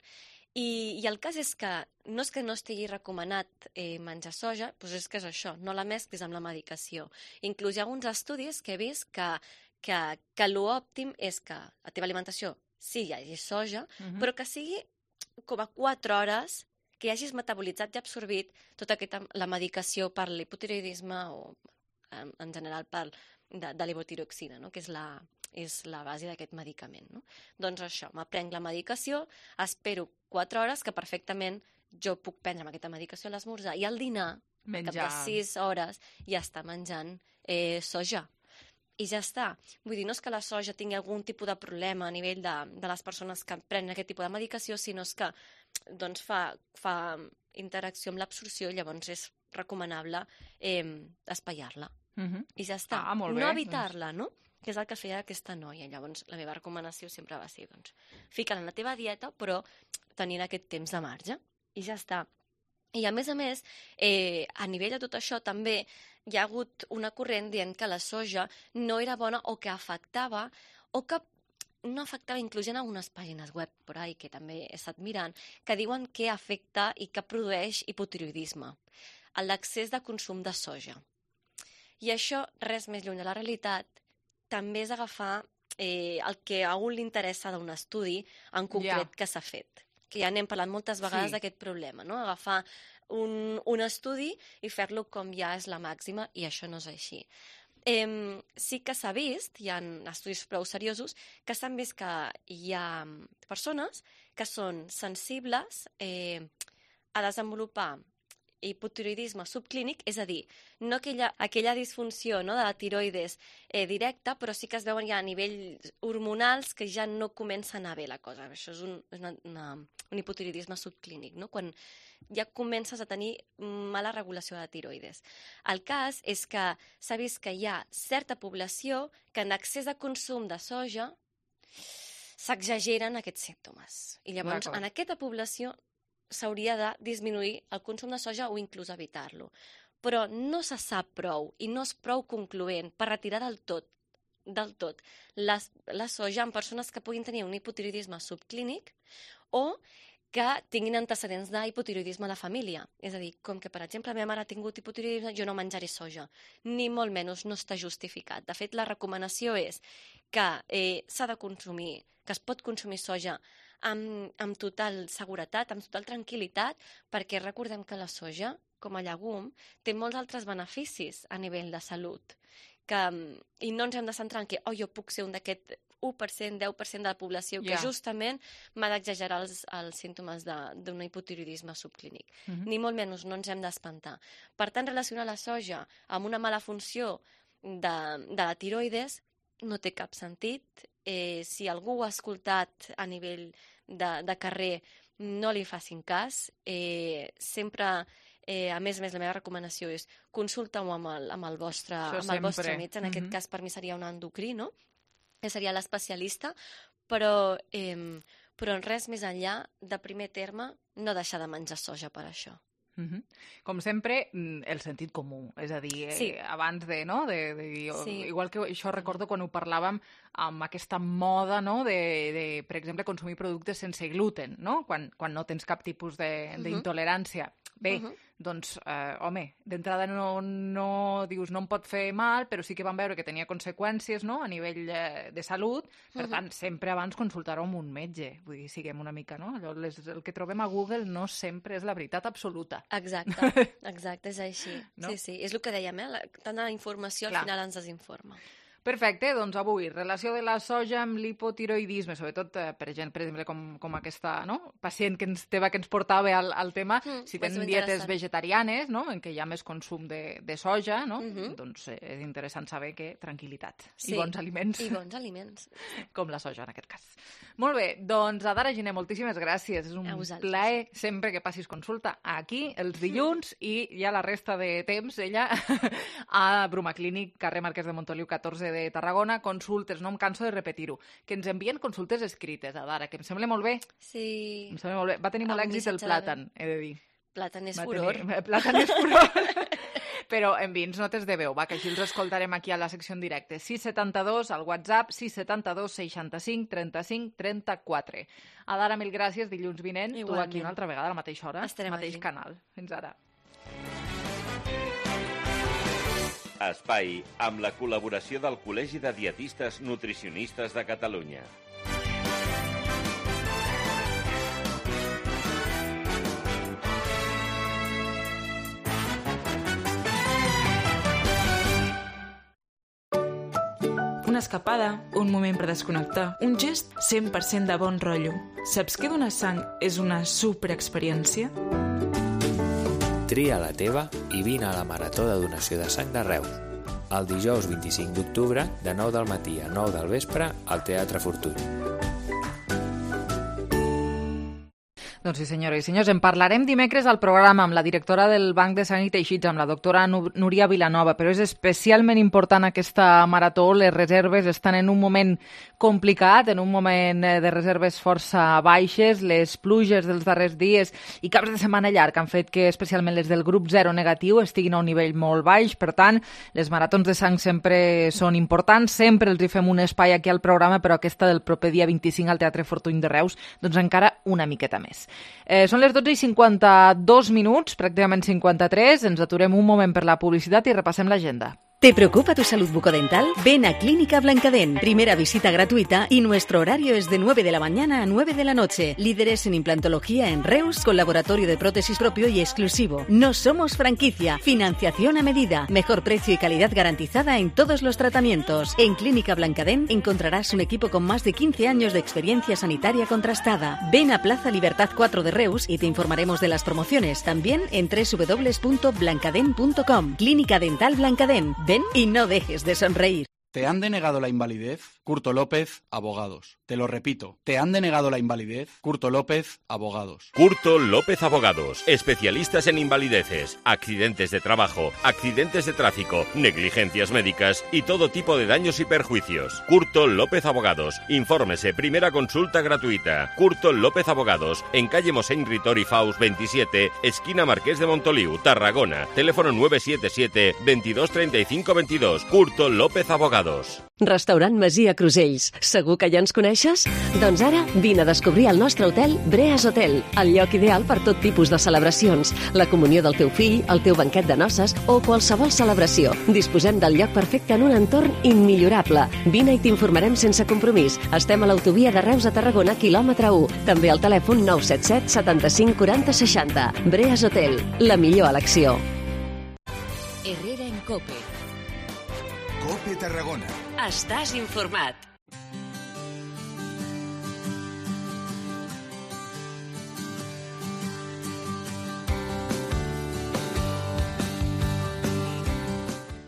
I el cas és que no estigui recomanat menjar soja, doncs és que és això, no la mesclis amb la medicació. Inclús hi ha alguns estudis que he vist que l'òptim és que a la teva alimentació sí hi hagi soja, però que sigui com a 4 hores que hagis metabolitzat i absorbit tota la medicació per l'hipotiroidisme o en general de levotiroxina, no?, que és la base d'aquest medicament. No? Doncs això, m'aprenc la medicació, espero 4 hores, que perfectament jo puc prendre amb aquesta medicació a l'esmorzar, i al dinar, cap de 6 hores, ja està menjant soja. I ja està. Vull dir, no és que la soja tingui algun tipus de problema a nivell de les persones que prenen aquest tipus de medicació, sinó que doncs, fa interacció amb l'absorció, llavors és recomanable espaiar-la. I ja està. No evitar-la, no?, que és el que feia aquesta noia. Llavors, la meva recomanació sempre va ser, doncs, fica-la en la teva dieta, però tenint aquest temps de marge. I ja està. I a més, a nivell de tot això, també hi ha hagut una corrent dient que la soja no era bona o que afectava, o que no afectava, inclús en algunes pàgines web por ahí, que també he estat mirant, que diuen que afecta i que produeix hipotiroidisme, l'excés de consum de soja. I això, res més lluny de la realitat, també és agafar el que a un li interessa d'un estudi en concret que s'ha fet. Que ja n'hem parlat moltes vegades d'aquest problema, no? Agafar un estudi i fer-lo com ja és la màxima, i això no és així. Sí que s'ha vist, hi ha estudis prou seriosos, que s'han vist que hi ha persones que són sensibles a desenvolupar hipotiroidisme subclínic, és a dir, no aquella disfunció, no, de la tiroides directa, però sí que es veuen ja a nivells hormonals que ja no comença a anar bé la cosa. Això és un hipotiroidisme subclínic, no? Quan ja comences a tenir mala regulació de la tiroides. El cas és que s'ha vist que hi ha certa població que en excés de consum de soja s'exageren aquests símptomes. I llavors, en aquesta població s'hauria de disminuir el consum de soja o inclús evitar-lo. Però no se sap prou i no és prou concloent per retirar del tot la soja en persones que puguin tenir un hipotiroidisme subclínic o que tinguin antecedents d'hipotiroidisme a la família. És a dir, com que, per exemple, la meva mare ha tingut hipotiroidisme, jo no menjaré soja. Ni molt menys no està justificat. De fet, la recomanació és que s'ha de consumir, que es pot consumir soja amb total seguretat, amb total tranquil·litat, perquè recordem que la soja, com a llegum, té molts altres beneficis a nivell de salut. I no ens hem de centrar en que jo puc ser un d'aquest 1%, 10% de la població que justament m'ha d'exagerar els símptomes d'un hipotiroidisme subclínic. Ni molt menys no ens hem d'espantar. Per tant, relacionar la soja amb una mala funció de la tiroides no té cap sentit. Si algú ho ha escoltat a nivell de carrer, no li facin cas. Sempre, a més, la meva recomanació és consulta-ho amb el vostre metge. En aquest cas, per mi seria un endocrí, no?, que seria l'especialista, però res més enllà, de primer terme, no deixar de menjar soja per això. Com sempre, el sentit comú, és a dir, abans de, no? Igual que això recordo quan ho parlàvem amb aquesta moda, no? de, per exemple, consumir productes sense gluten, no? Quan no tens cap tipus d'intolerància. Bé, doncs, home, d'entrada no dius no em pot fer mal, però sí que vam veure que tenia conseqüències, no? A nivell de salut, per tant, sempre abans consultar-ho amb un metge, vull dir, siguem una mica, no? Allò, el que trobem a Google no sempre és la veritat absoluta. Exacte, és així. No? Sí, és el que dèiem, tanta informació al final ens desinforma. Perfecte, doncs avui, relació de la soja amb l'hipotiroidisme, sobretot per exemple, com aquesta pacient que ens portava al tema, si tenen dietes vegetarianes, no? En què hi ha més consum de soja, no? Doncs és interessant saber que tranquil·litat i bons aliments. I bons aliments. Com la soja, en aquest cas. Molt bé, doncs Adara Giner, moltíssimes gràcies. És un plaer sempre que passis consulta aquí, els dilluns, i ja la resta de temps, ella, a Brumaclínic, carrer Marquès de Montoliu 14 de Tarragona, consultes, no em canso de repetir-ho, que ens envien consultes escrites, Adara, que em sembla molt bé. Sí. Em sembla molt bé. Va tenir molt èxit el plàtan, he de dir. Plàtan és furor. Plàtan és furor. Però enviï'ns notes de veu, que així els escoltarem aquí a la secció en directe. 672, al WhatsApp, 672 65 35 34. Adara, mil gràcies, dilluns vinent. Igualment. Tu aquí una altra vegada, a la mateixa hora, al mateix canal. Fins ara. Espai amb la col·laboració del Col·legi de Dietistes Nutricionistes de Catalunya. Una escapada, un moment per desconnectar, un gest 100% de bon rotllo. Saps que donar sang és una superexperiència? Tria la teva i vine a la Marató de Donació de Sang de Reus. El dijous 25 d'octubre, de 9 del matí a 9 del vespre, al Teatre Fortuny. Doncs sí, senyores i senyors, en parlarem dimecres al programa amb la directora del Banc de Sang i Teixits, amb la doctora Núria Vilanova, però és especialment important aquesta marató. Les reserves estan en un moment complicat, en un moment de reserves força baixes. Les pluges dels darrers dies i caps de setmana llarg han fet que especialment les del grup 0 negatiu estiguin a un nivell molt baix. Per tant, les maratons de sang sempre són importants, sempre els hi fem un espai aquí al programa, però aquesta del proper dia 25 al Teatre Fortuny de Reus, doncs encara una miqueta més. Són les 12:52 minuts, pràcticament 53. Ens aturem un moment per la publicitat i repassem l'agenda. ¿Te preocupa tu salud bucodental? Ven a Clínica Blancadén. Primera visita gratuita y nuestro horario es de 9 de la mañana a 9 de la noche. Líderes en implantología en Reus, con laboratorio de prótesis propio y exclusivo. No somos franquicia. Financiación a medida. Mejor precio y calidad garantizada en todos los tratamientos. En Clínica Blancadén encontrarás un equipo con más de 15 años de experiencia sanitaria contrastada. Ven a Plaza Libertad 4 de Reus y te informaremos de las promociones. También en www.blancadén.com. Clínica Dental Blancadén. Ven y no dejes de sonreír. ¿Te han denegado la invalidez? Curto López, Abogados. Te lo repito. ¿Te han denegado la invalidez? Curto López, Abogados. Curto López Abogados. Especialistas en invalideces, accidentes de trabajo, accidentes de tráfico, negligencias médicas y todo tipo de daños y perjuicios. Curto López Abogados. Infórmese. Primera consulta gratuita. Curto López Abogados. En calle Mosén Ritor y Faus 27, esquina Marqués de Montoliu, Tarragona. Teléfono 977 22 35 22. Curto López Abogados. Restaurant Masia Crusells. Segur que ja ens coneixes? Doncs ara vine a descobrir el nostre hotel Breas Hotel, el lloc ideal per tot tipus de celebracions, la comunió del teu fill, el teu banquet de noces o qualsevol celebració. Disposem del lloc perfecte en un entorn immillorable. Vine i t'informarem sense compromís. Estem a l'autovia de Reus a Tarragona, quilòmetre 1. També al telèfon 977 75 40 60. Breas Hotel, la millor elecció. Herrera en COPE. COPE Tarragona. Estàs informat.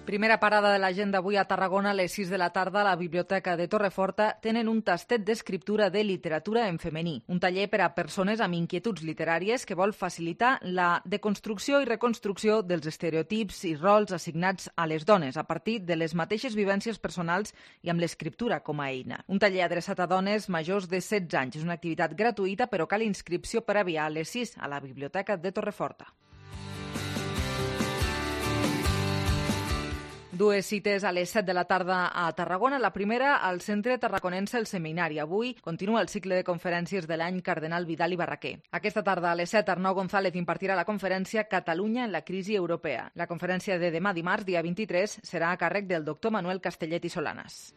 Primera parada de l'agenda avui a Tarragona a les 6 de la tarda a la Biblioteca de Torreforta tenen un tastet d'escriptura de literatura en femení, un taller per a persones amb inquietuds literàries que vol facilitar la deconstrucció i reconstrucció dels estereotips i rols assignats a les dones a partir de les mateixes vivències personals i amb l'escriptura com a eina. Un taller adreçat a dones majors de 16 anys. És una activitat gratuïta, però cal inscripció prèvia a les 6 a la Biblioteca de Torreforta. Dues cites a les 7 de la tarda a Tarragona. La primera, al Centre Tarraconense El Seminari. Avui continua el cicle de conferències de l'any Cardenal Vidal i Barraquer. Aquesta tarda a les 7, Arnau González impartirà la conferència Catalunya en la crisi europea. La conferència de demà dimarts, dia 23, serà a càrrec del doctor Manuel Castellet i Solanas.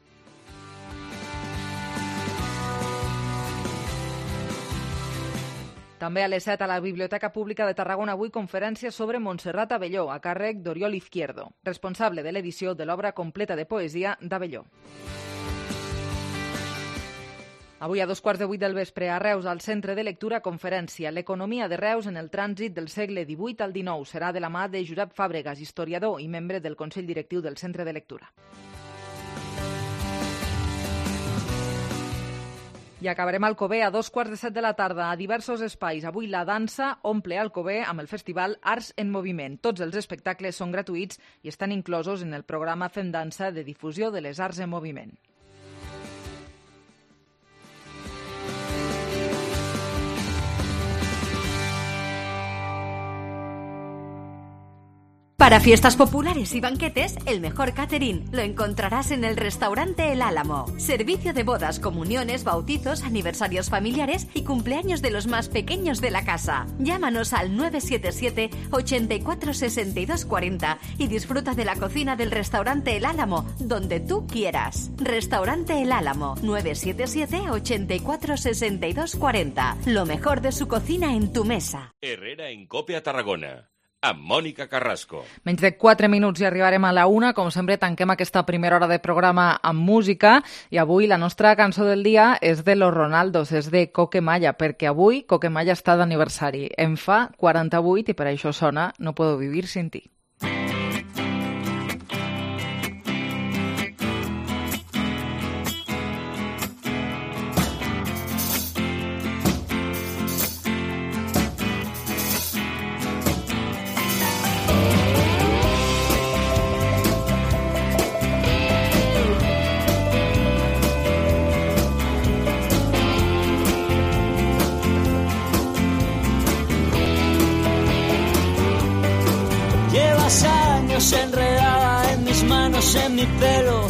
També a les 7 a la Biblioteca Pública de Tarragona avui conferència sobre Montserrat Abelló, a càrrec d'Oriol Izquierdo, responsable de l'edició de l'obra completa de poesia d'Abelló. Avui a 7:15 del vespre a Reus, al Centre de Lectura, conferència L'economia de Reus en el trànsit del segle XVIII al XIX. Serà de la mà de Josep Fàbregas, historiador i membre del Consell Directiu del Centre de Lectura. I acabarem a Alcover a 7:15 de la tarda a diversos espais. Avui la dansa omple Alcover amb el festival Arts en Moviment. Tots els espectacles són gratuïts i estan inclosos en el programa Fem Dansa de difusió de les arts en moviment. Para fiestas populares y banquetes, el mejor catering lo encontrarás en el restaurante El Álamo. Servicio de bodas, comuniones, bautizos, aniversarios familiares y cumpleaños de los más pequeños de la casa. Llámanos al 977 84 62 40 y disfruta de la cocina del restaurante El Álamo, donde tú quieras. Restaurante El Álamo, 977 84 62 40. Lo mejor de su cocina en tu mesa. Herrera en Copia Tarragona, amb Mònica Carrasco. Menys de 4 minuts i arribarem a la 1. Com sempre, tanquem aquesta primera hora de programa amb música i avui la nostra cançó del dia és de Los Ronaldos, és de Coquemaya, perquè avui Coquemaya està d'aniversari. Em fa 48 i per això sona No puedo vivir sin ti. Enredada en mis manos, en mi pelo,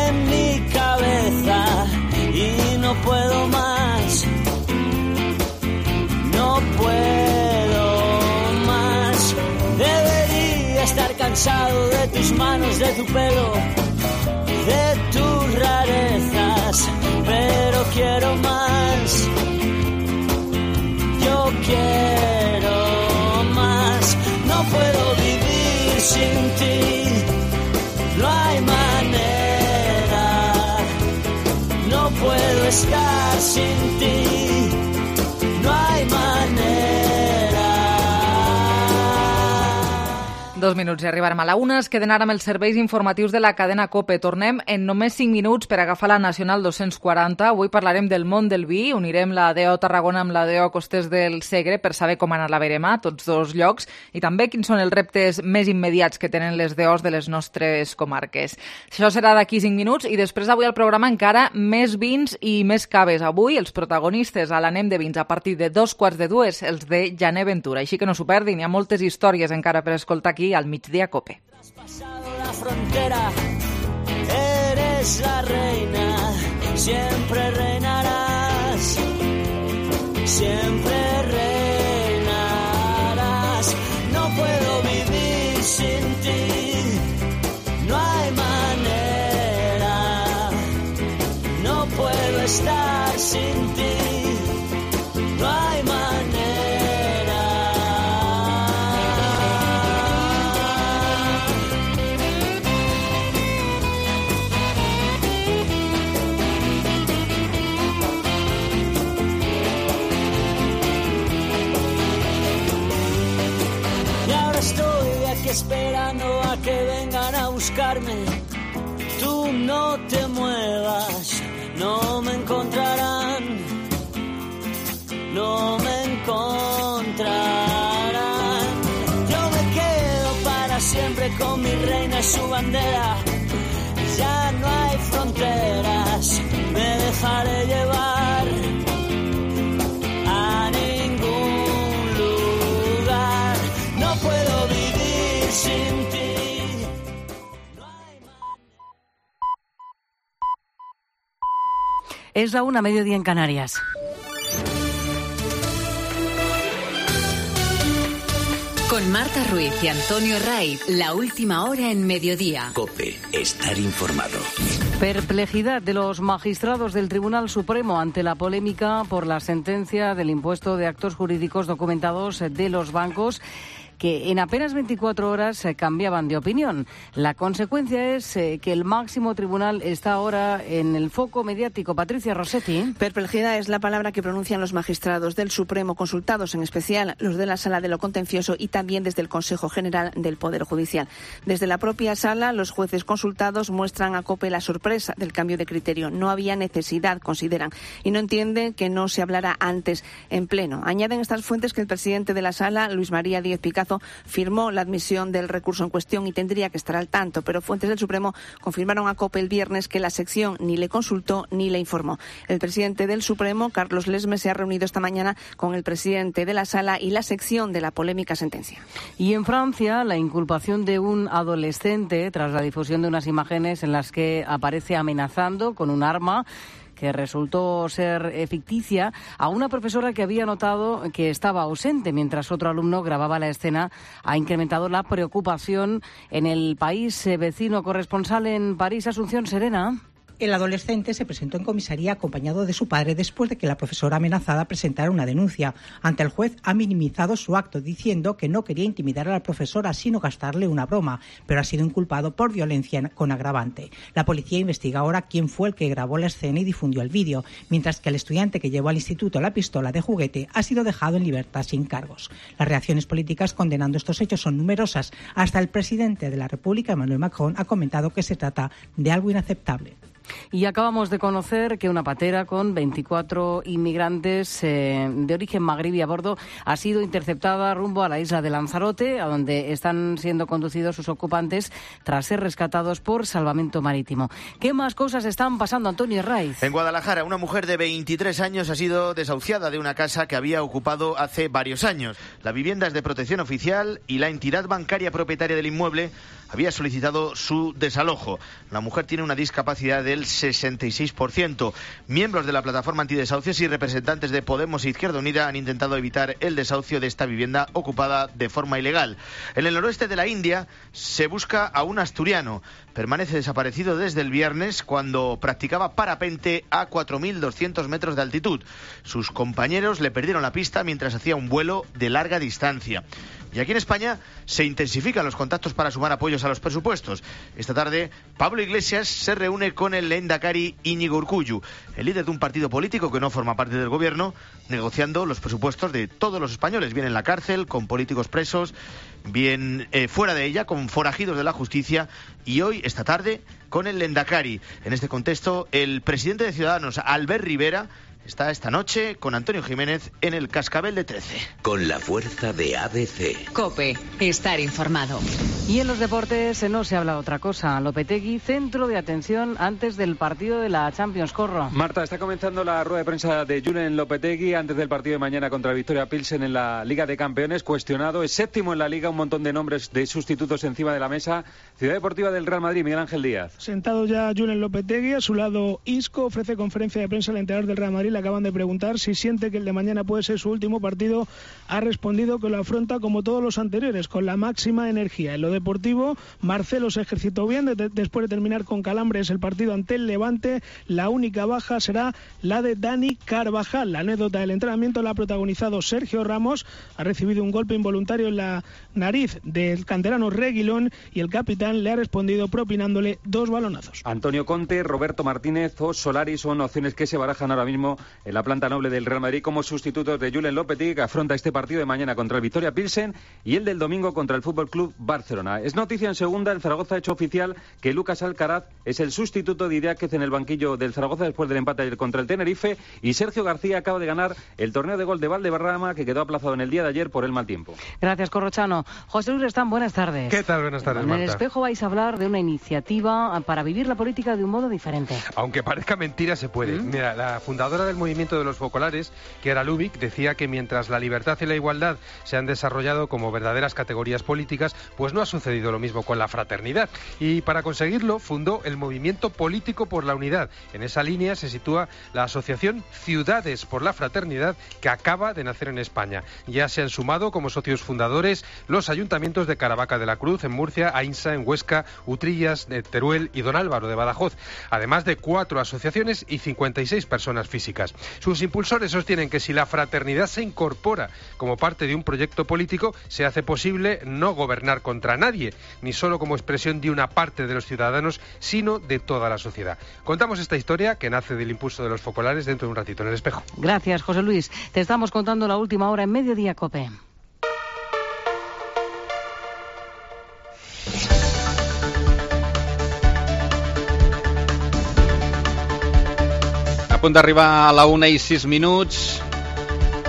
en mi cabeza y no puedo más, no puedo más. Debería estar cansado de tus manos, de tu pelo, de tus rarezas, pero quiero más, yo quiero más, no puedo vivir sin ti, no hay manera, no puedo estar sin ti, no hay manera. 2 minuts i arribarem a la 1. Es queden ara amb els serveis informatius de la cadena COPE. Tornem en només 5 minuts per agafar la Nacional 240. Avui parlarem del món del vi. Unirem la DO Tarragona amb la DO Costers del Segre per saber com anar la verema, tots dos llocs, i també quins són els reptes més immediats que tenen les DOs de les nostres comarques. Això serà d'aquí 5 minuts i després avui al programa encara més vins i més caves. Avui els protagonistes a l'Anem de Vins a partir de 2:15, els de Jané Ventura. Així que no s'ho perdin, hi ha moltes històries encara per escoltar aquí al Migdia Cope. Traspasado la frontera, eres la reina, siempre reinarás, siempre reinarás. No puedo vivir sin ti, no hay manera, no puedo estar sin ti, no hay manera. Esperando a que vengan a buscarme, tú no te muevas, no me encontrarán, no me encontrarán. Yo me quedo para siempre con mi reina y su bandera, ya no hay fronteras, me dejaré llevar a ningún lugar, no puedo vivir sin ti. Es la 1:00, mediodía en Canarias. Con Marta Ruiz y Antonio Raiz, la última hora en Mediodía. COPE, estar informado. Perplejidad de los magistrados del Tribunal Supremo ante la polémica por la sentencia del impuesto de actos jurídicos documentados de los bancos, que en apenas 24 horas cambiaban de opinión. La consecuencia es que el máximo tribunal está ahora en el foco mediático. Patricia Rossetti. Perplejidad es la palabra que pronuncian los magistrados del Supremo, consultados en especial los de la Sala de lo Contencioso y también desde el Consejo General del Poder Judicial. Desde la propia Sala, los jueces consultados muestran a COPE la sorpresa del cambio de criterio. No había necesidad, consideran, y no entienden que no se hablara antes en pleno. Añaden estas fuentes que el presidente de la Sala, Luis María Díez Picazo, firmó la admisión del recurso en cuestión y tendría que estar al tanto, pero fuentes del Supremo confirmaron a COPE el viernes que la sección ni le consultó ni le informó. El presidente del Supremo, Carlos Lesmes, se ha reunido esta mañana con el presidente de la Sala y la sección de la polémica sentencia. Y en Francia, la inculpación de un adolescente tras la difusión de unas imágenes en las que aparece amenazando con un arma que resultó ser ficticia, a una profesora que había notado que estaba ausente mientras otro alumno grababa la escena, ha incrementado la preocupación en el país vecino. Corresponsal en París, Asunción Serena. El adolescente se presentó en comisaría acompañado de su padre después de que la profesora amenazada presentara una denuncia. Ante el juez ha minimizado su acto diciendo que no quería intimidar a la profesora sino gastarle una broma, pero ha sido inculpado por violencia con agravante. La policía investiga ahora quién fue el que grabó la escena y difundió el vídeo, mientras que el estudiante que llevó al instituto la pistola de juguete ha sido dejado en libertad sin cargos. Las reacciones políticas condenando estos hechos son numerosas. Hasta el presidente de la República, Emmanuel Macron, ha comentado que se trata de algo inaceptable. Y acabamos de conocer que una patera con 24 inmigrantes de origen magrebí a bordo ha sido interceptada rumbo a la isla de Lanzarote, a donde están siendo conducidos sus ocupantes tras ser rescatados por salvamento marítimo. ¿Qué más cosas están pasando, Antonio Raiz? En Guadalajara, una mujer de 23 años ha sido desahuciada de una casa que había ocupado hace varios años. La vivienda es de protección oficial y la entidad bancaria propietaria del inmueble había solicitado su desalojo. La mujer tiene una discapacidad del 66%. Miembros de la plataforma antidesahucios y representantes de Podemos e Izquierda Unida han intentado evitar el desahucio de esta vivienda ocupada de forma ilegal. En el noroeste de la India se busca a un asturiano. Permanece desaparecido desde el viernes cuando practicaba parapente a 4.200 metros de altitud. Sus compañeros le perdieron la pista mientras hacía un vuelo de larga distancia. Y aquí en España se intensifican los contactos para sumar apoyos a los presupuestos. Esta tarde, Pablo Iglesias se reúne con el lehendakari Íñigo Urkullu, el líder de un partido político que no forma parte del gobierno, negociando los presupuestos de todos los españoles, bien en la cárcel, con políticos presos, bien fuera de ella, con forajidos de la justicia, y hoy, esta tarde, con el lehendakari. En este contexto, el presidente de Ciudadanos, Albert Rivera, está esta noche con Antonio Jiménez en el Cascabel de 13. Con la fuerza de ABC. COPE, estar informado. Y en los deportes no se habla de otra cosa. Lopetegui, centro de atención antes del partido de la Champions. Corro. Marta, está comenzando la rueda de prensa de Julen Lopetegui antes del partido de mañana contra el Victoria Pilsen en la Liga de Campeones. Cuestionado, es séptimo en la Liga, un montón de nombres de sustitutos encima de la mesa. Ciudad Deportiva del Real Madrid, Miguel Ángel Díaz. Sentado ya Julen Lopetegui, a su lado Isco, ofrece conferencia de prensa al entrenador del Real Madrid. Le acaban de preguntar si siente que el de mañana puede ser su último partido. Ha respondido que lo afronta como todos los anteriores, con la máxima energía. En lo deportivo, Marcelo se ejercitó bien después de terminar con calambres el partido ante el Levante. La única baja será la de Dani Carvajal. La anécdota del entrenamiento la ha protagonizado Sergio Ramos. Ha recibido un golpe involuntario en la nariz del canterano Reguilón y el capitán le ha respondido propinándole 2 balonazos. Antonio Conte, Roberto Martínez o Solari son opciones que se barajan ahora mismo en la planta noble del Real Madrid como sustitutos de Julen Lopetegui, que afronta este partido de mañana contra el Victoria Pilsen y el del domingo contra el Fútbol Club Barcelona. Es noticia en segunda, el Zaragoza ha hecho oficial que Lucas Alcaraz es el sustituto de Idiáquez en el banquillo del Zaragoza después del empate ayer contra el Tenerife, y Sergio García acaba de ganar el torneo de gol de Valdebarrama, que quedó aplazado en el día de ayer por el mal tiempo. Gracias, Corrochano. José Luis Restán, buenas tardes. ¿Qué tal? Buenas tardes, Marta. En El Espejo vais a hablar de una iniciativa para vivir la política de un modo diferente. Aunque parezca mentira, se puede. Mira, la fundadora del movimiento de los focolares, Chiara Lubich, decía que mientras la libertad y la igualdad se han desarrollado como verdaderas categorías políticas, pues no ha sucedido lo mismo con la fraternidad. Y para conseguirlo fundó el Movimiento Político por la Unidad. En esa línea se sitúa la asociación Ciudades por la Fraternidad, que acaba de nacer en España. Ya se han sumado como socios fundadores los ayuntamientos de Caravaca de la Cruz, en Murcia, Ainsa, en Huesca, Utrillas, de Teruel y Don Álvaro de Badajoz, además de 4 asociaciones y 56 personas físicas. Sus impulsores sostienen que si la fraternidad se incorpora como parte de un proyecto político, se hace posible no gobernar contra nadie, ni solo como expresión de una parte de los ciudadanos, sino de toda la sociedad. Contamos esta historia que nace del impulso de los focolares dentro de un ratito en El Espejo. Gracias, José Luis. Te estamos contando la última hora en Mediodía COPE. A punt d'arribar a la 1:06.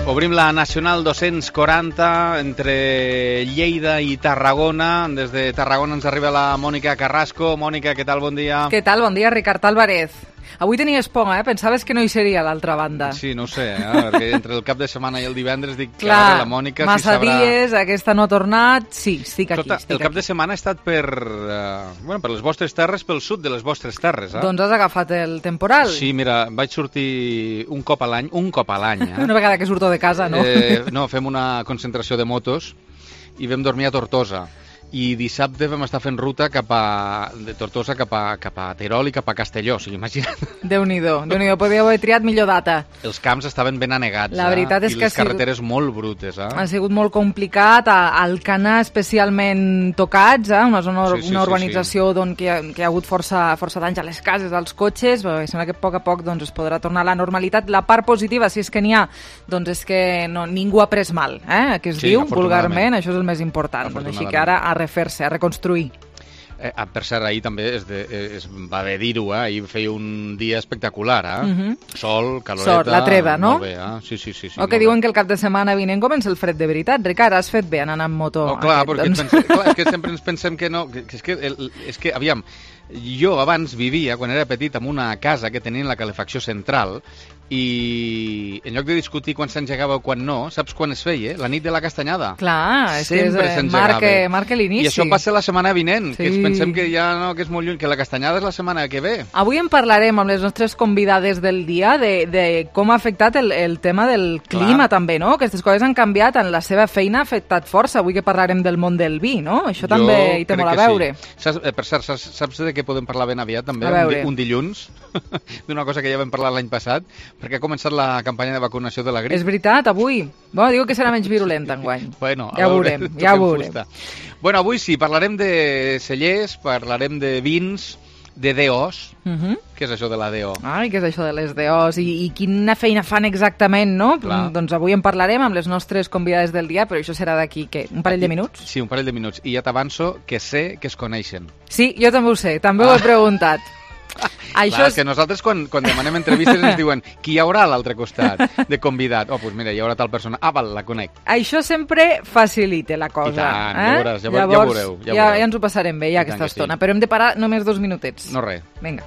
Obrim la Nacional 240 entre Lleida i Tarragona. Des de Tarragona ens arriba la Mònica Carrasco. Mònica, què tal? Bon dia. Què tal? Bon dia, Ricard Álvarez. Avui tenies por, Pensaves que no hi seria a l'altra banda. Sí, no ho sé, perquè entre el cap de setmana i el divendres dic que ara la Mònica massa si sabrà... dies, aquesta no ha tornat, sí, estic aquí. El cap de setmana ha estat per les vostres terres, pel sud de les vostres terres. Doncs has agafat el temporal. Sí, mira, vaig sortir un cop a l'any. Una vegada que surto de casa, no? No, fem una concentració de motos i vam dormir a Tortosa. I dissabte vam estar fent ruta de Tortosa cap a Terol i cap a Castelló, o sigui, imagina't. Déu-n'hi-do, podíeu haver triat millor data. Els camps estaven ben anegats, la veritat és i les carreteres molt brutes. Ha sigut molt complicat, Alcanar especialment tocats, una urbanització on hi ha hagut força danys a les cases, als cotxes, però sembla que a poc es podrà tornar a la normalitat. La part positiva, si és que n'hi ha, doncs és que ningú ha pres mal, que es diu vulgarment, això és el més important. Així que ara a refer-se, a reconstruir. Per cert, ahir també es va haver dir-ho, ahir feia un dia espectacular, Sol, caloreta... Sol, la treva, no? Molt bé, Sí. O que diuen que el cap de setmana vinent comença el fred de veritat. Ricard, has fet bé anant amb moto. Oh, clar, perquè és que sempre ens pensem que no... És que, aviam, jo abans vivia, quan era petit, en una casa que tenia la calefacció central i en lloc de discutir quan s'engegava o quan no, saps quan es feia? La nit de la castanyada. Clar, és que marca l'inici. I això passa la setmana vinent, que pensem que ja no, que és molt lluny, que la castanyada és la setmana que ve. Avui en parlarem amb les nostres convidades del dia de com ha afectat el tema del clima també, no? Aquestes coses han canviat, en la seva feina ha afectat força. Avui que parlarem del món del vi, no? Això també hi té molt a veure. Sí. Per cert, saps de què podem parlar ben aviat també? Un dilluns, d'una cosa que ja vam parlar l'any passat, perquè ha començat la campanya de vacunació de la grip. És veritat, avui. Diu que serà menys virulenta enguany. Bueno, ja ho veurem. Bueno, avui sí, parlarem de cellers, parlarem de vins, de DOs. Què és això de la DO? Ai, què és això de les DOs? I quina feina fan exactament, no? Doncs avui en parlarem amb les nostres convidades del dia, però això serà d'aquí, què? Un parell de minuts? Sí, un parell de minuts. I ja t'avanço que sé que es coneixen. Sí, jo també ho sé, també ho he preguntat. Clar, és que nosaltres quan demanem entrevistes ens diuen qui hi haurà a l'altre costat de convidat. Doncs mira, hi haurà tal persona. Val, la conec. Això sempre facilita la cosa. I tant, ja veuràs, ja veureu. Ja ens ho passarem bé, aquesta estona. Però hem de parar només 2 minutets. No res. Vinga.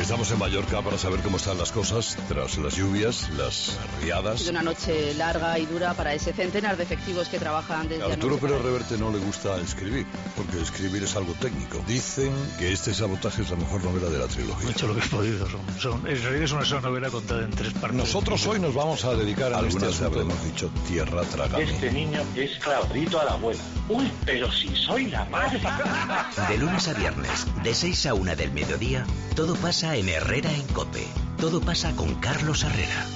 Estamos en Mallorca para saber cómo están las cosas tras las lluvias, las riadas. De una noche larga y dura para ese centenar de efectivos que trabajan desde Arturo Pérez Reverte no le gusta escribir, porque escribir es algo técnico. Dicen que este sabotaje es la mejor novela de la trilogía. He hecho lo que he podido. En realidad es una novela contada en 3 partes. Nosotros hoy nos vamos a dedicar a algunas habremos dicho tierra tragada. Este niño es Claudito a la abuela. Uy, pero si soy la madre. De lunes a viernes, de 6 a 1 del mediodía, todo pasa en Herrera en COPE. Todo pasa con Carlos Herrera.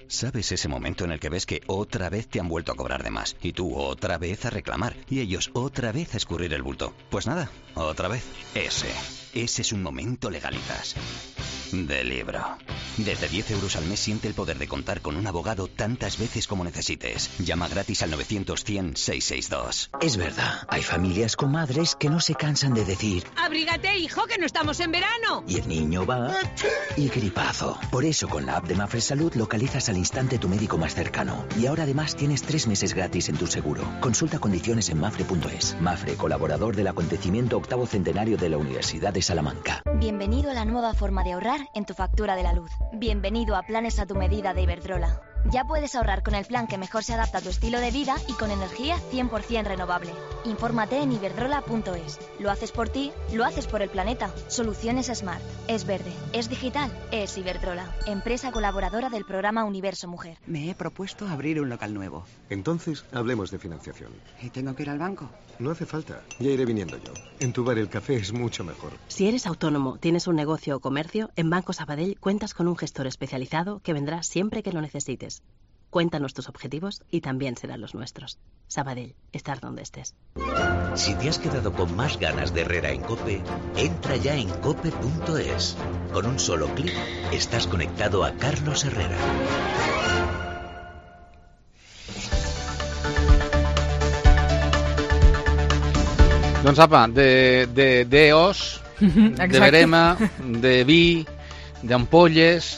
¿Sabes ese momento en el que ves que otra vez te han vuelto a cobrar de más? Y tú otra vez a reclamar. Y ellos otra vez a escurrir el bulto. Pues nada, otra vez. Ese es un momento Legalitas. de libro. Desde 10 euros al mes siente el poder de contar con un abogado tantas veces como necesites. Llama gratis al 900-100-662. Es verdad, hay familias con madres que no se cansan de decir: ¡abrígate, hijo, que no estamos en verano! Y el niño va y gripazo. Por eso con la app de Mafre Salud localizas al instante tu médico más cercano. Y ahora además tienes 3 meses gratis en tu seguro. Consulta condiciones en mafre.es. Mafre, colaborador del acontecimiento 8º centenario de la Universidad de Salamanca. Bienvenido a la nueva forma de ahorrar en tu factura de la luz. Bienvenido a Planes a tu medida de Iberdrola. Ya puedes ahorrar con el plan que mejor se adapta a tu estilo de vida y con energía 100% renovable. Infórmate en iberdrola.es. Lo haces por ti, lo haces por el planeta. Soluciones Smart. Es verde, es digital, es Iberdrola. Empresa colaboradora del programa Universo Mujer. Me he propuesto abrir un local nuevo. Entonces, hablemos de financiación. ¿Y tengo que ir al banco? No hace falta, ya iré viniendo yo. En tu bar el café es mucho mejor. Si eres autónomo, tienes un negocio o comercio, en Banco Sabadell cuentas con un gestor especializado que vendrá siempre que lo necesites. Cuéntanos tus objetivos y también serán los nuestros. Sabadell, estar donde estés. Si te has quedado con más ganas de Herrera en COPE, entra ya en cope.es. Con un solo clic estás conectado a Carlos Herrera. Doncs apa, d'os, de verema, de vi, d'ampolles,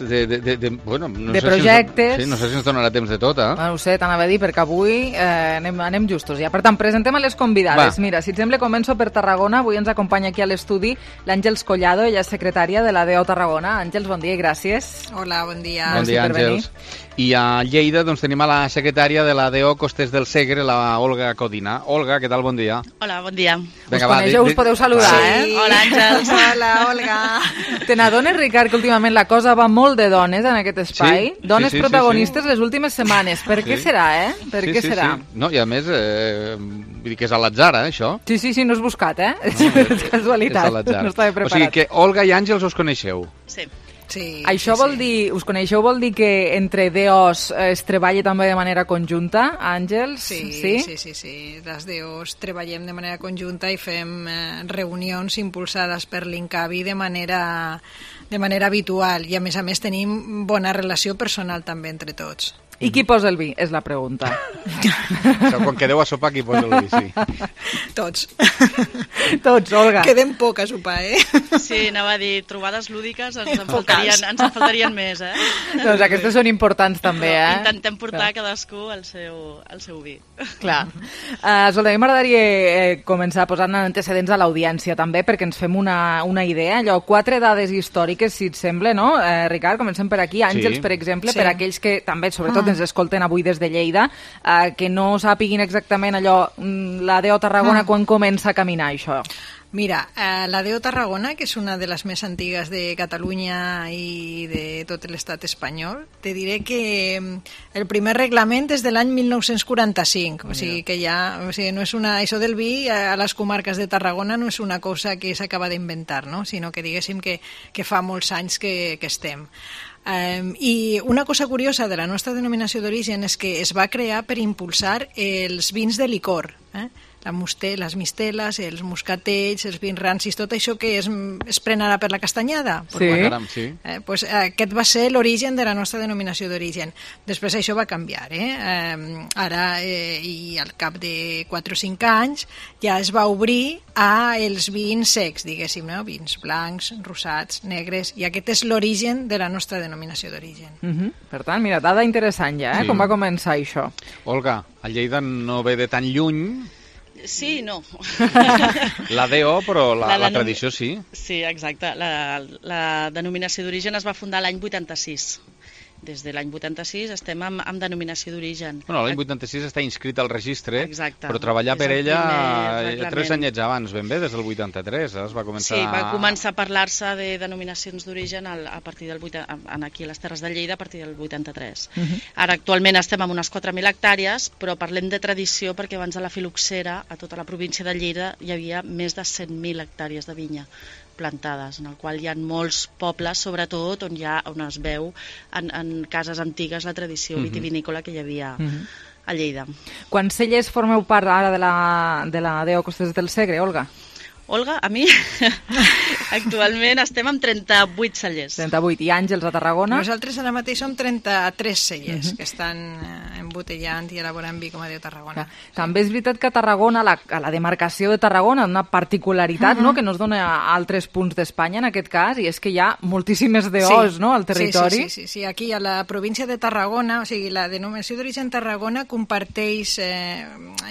bueno, no de sé projectes. Sí, no sé si ens donarà temps de tot, eh? No ho sé, t'anava a dir, perquè avui anem justos ja. Per tant, presentem a les convidades. Va. Mira, si et sembla, començo per Tarragona. Avui ens acompanya aquí a l'estudi l'Àngels Collado, ella és secretària de la DO Tarragona. Àngels, bon dia i gràcies. Hola, bon dia. Bon dia, Àngels. I a Lleida doncs, tenim a la secretària de la DO Costes del Segre, la Olga Codina. Olga, què tal? Bon dia. Hola, bon dia. Vinga, us coneixeu, us podeu saludar, sí. Hola, Àngels. Hola, Olga. Te n'adones, Ricard, que últimament la cosa va molt de dones en aquest espai? Sí, dones protagonistes les últimes setmanes. Per què serà, Per què serà? No, i a més, vull dir que és a l'atzar, això. Sí, no és buscat, és casualitat. És a l'atzar. No estava preparat. O sigui que Olga i Àngels us coneixeu. Sí. Sí, això vol dir, us coneixeu, vol dir que entre DOs es treballa també de manera conjunta, Àngels? Sí. Les DOs treballem de manera conjunta i fem reunions impulsades per l'Incavi de manera habitual i a més tenim bona relació personal també entre tots. I qui posa el vi? És la pregunta. Quan quedeu a sopar, qui posa el vi, sí. Tots. Tots, Olga. Quedem poc a sopar, Sí, anava a dir, trobades lúdiques ens en faltarien més, Doncs aquestes són importants també, Intentem portar cadascú el seu vi. Clar. Escolta, a mi m'agradaria començar posant antecedents a l'audiència també, perquè ens fem una idea. 4 dades històriques, si et sembla, no? Ricard, comencem per aquí. Àngels, per exemple, per aquells que també, sobretot, ens escolten avui des de Lleida, que no sàpiguin exactament allò, la DO Tarragona, quan comença a caminar això? Mira, la DO Tarragona, que és una de les més antigues de Catalunya i de tot l'estat espanyol, te diré que el primer reglament és de l'any 1945, o sigui que ja, no és això del vi a les comarques de Tarragona no és una cosa que s'acaba d'inventar, no? Sinó que diguéssim que fa molts anys que estem. I una cosa curiosa de la nostra denominació d'origen és que es va crear per impulsar els vins de licor, les misteles, els moscatells, els vins rancis, tot això que es pren ara per la castanyada. Sí. Pues aquest va ser l'origen de la nostra denominació d'origen. Després això va canviar. Ara, i al cap de 4 o 5 anys, ja es va obrir a els vins secs, diguéssim, no? Vins blancs, rosats, negres, i aquest és l'origen de la nostra denominació d'origen. Per tant, mira, dada interessant ja, com va començar això. Olga, a Lleida no ve de tan lluny. Sí, no. La DO, però la tradició sí. Sí, exacte. La denominació d'origen es va fundar l'any 86. Des de l'any 86 estem amb denominació d'origen. Bueno, l'any 86 està inscrit al registre, exacte, però treballar per ella 3 anyets abans, ben bé, des del 83 es va començar... Sí, va començar a parlar-se de denominacions d'origen a partir del aquí a les Terres de Lleida a partir del 83. Ara actualment estem amb unes 4.000 hectàrees, però parlem de tradició perquè abans de la filoxera a tota la província de Lleida hi havia més de 100.000 hectàrees de vinya plantades, en el qual hi ha molts pobles, sobretot on es veu en cases antigues la tradició vitivinícola que hi havia a Lleida. Quants cellers formeu part ara de la DO Costes del Segre, Olga? Olga, a mi? Actualment estem amb 38 cellers. 38. I Àngels, a Tarragona? Nosaltres ara mateix som 33 cellers que estan embotellant i elaborant vi, com a Déu Tarragona. També és veritat que a Tarragona, a la demarcació de Tarragona, una particularitat no? que no es dona a altres punts d'Espanya, en aquest cas, i és que hi ha moltíssimes DOs no? al territori. Sí, aquí a la província de Tarragona, o sigui, la denominació d'origen Tarragona comparteix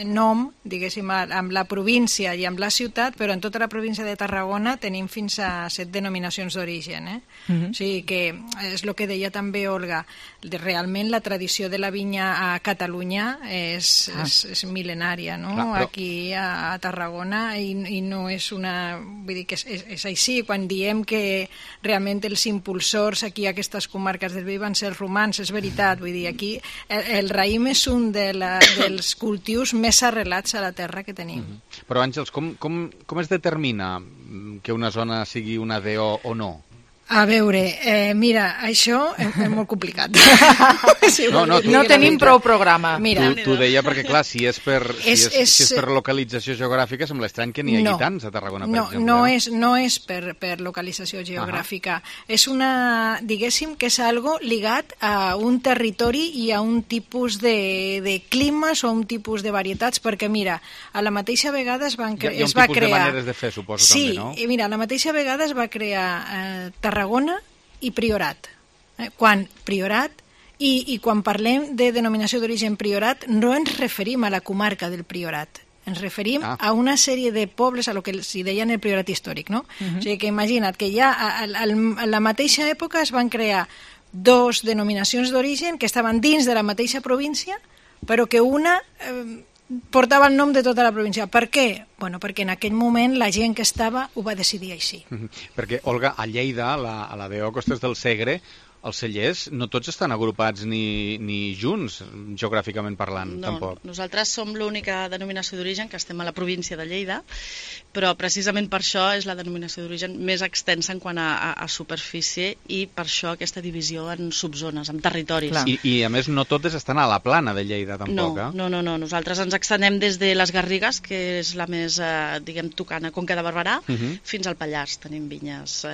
nom, diguéssim, amb la província i amb la ciutat, però en tota la província de Tarragona tenim fins a 7 denominacions d'origen. O sigui que és el que deia també Olga, realment la tradició de la vinya a Catalunya és mil·lenària, no? Clar, però... Aquí a Tarragona i no és una... Vull dir que és així, quan diem que realment els impulsors aquí a aquestes comarques del vi van ser els romans, és veritat, vull dir, aquí el raïm és un dels cultius més arrelats a la terra que tenim. Però Àngels, com es determina que una zona sigui una DO o no? A veure, mira, això és molt complicat. No tenim prou programa. T'ho deia perquè, clar, si és per localització geogràfica, sembla estrany que n'hi hagi tants a Tarragona, per exemple. No és per localització geogràfica. És una, diguéssim, que és algo ligat a un territori i a un tipus de climes o a un tipus de varietats, perquè, mira, a la mateixa vegada es va crear... Hi ha un tipus de maneres de fer, suposo, també, no? Sí, mira, a la mateixa vegada es va crear Tarragona i Priorat. Quan Priorat, i quan parlem de denominació d'origen Priorat, no ens referim a la comarca del Priorat, ens referim a una sèrie de pobles, a lo que s'hi deien el Priorat històric, no? O sigui que imagina't que ja a la mateixa època es van crear 2 denominacions d'origen que estaven dins de la mateixa província, però que una... portava el nom de tota la província. Per què? Bueno, perquè en aquell moment la gent que estava ho va decidir així. Perquè, Olga, a Lleida, a la DO Costes del Segre, els cellers no tots estan agrupats ni junts, geogràficament parlant, tampoc. No, nosaltres som l'única denominació d'origen que estem a la província de Lleida, però precisament per això és la denominació d'origen més extensa en quant a superfície i per això aquesta divisió en subzones, en territoris. I a més no totes estan a la plana de Lleida, tampoc, No, nosaltres ens extendem des de les Garrigues, que és la més, diguem, tocant a Conca de Barberà, fins al Pallars, tenim vinyes...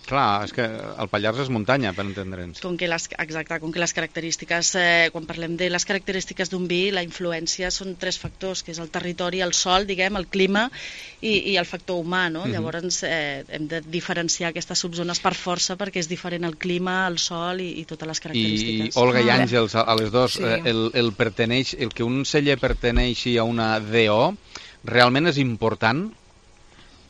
Clar, és que el Pallars és muntanya, per entendre'ns. Com que les característiques, quan parlem de les característiques d'un vi, la influència són 3 factors, que és el territori, el sol, diguem, el clima i el factor humà, no? Llavors hem de diferenciar aquestes subzones per força perquè és diferent el clima, el sol i totes les característiques. I Olga i Àngels, a les dos, el que un celler perteneixi a una DO realment és important?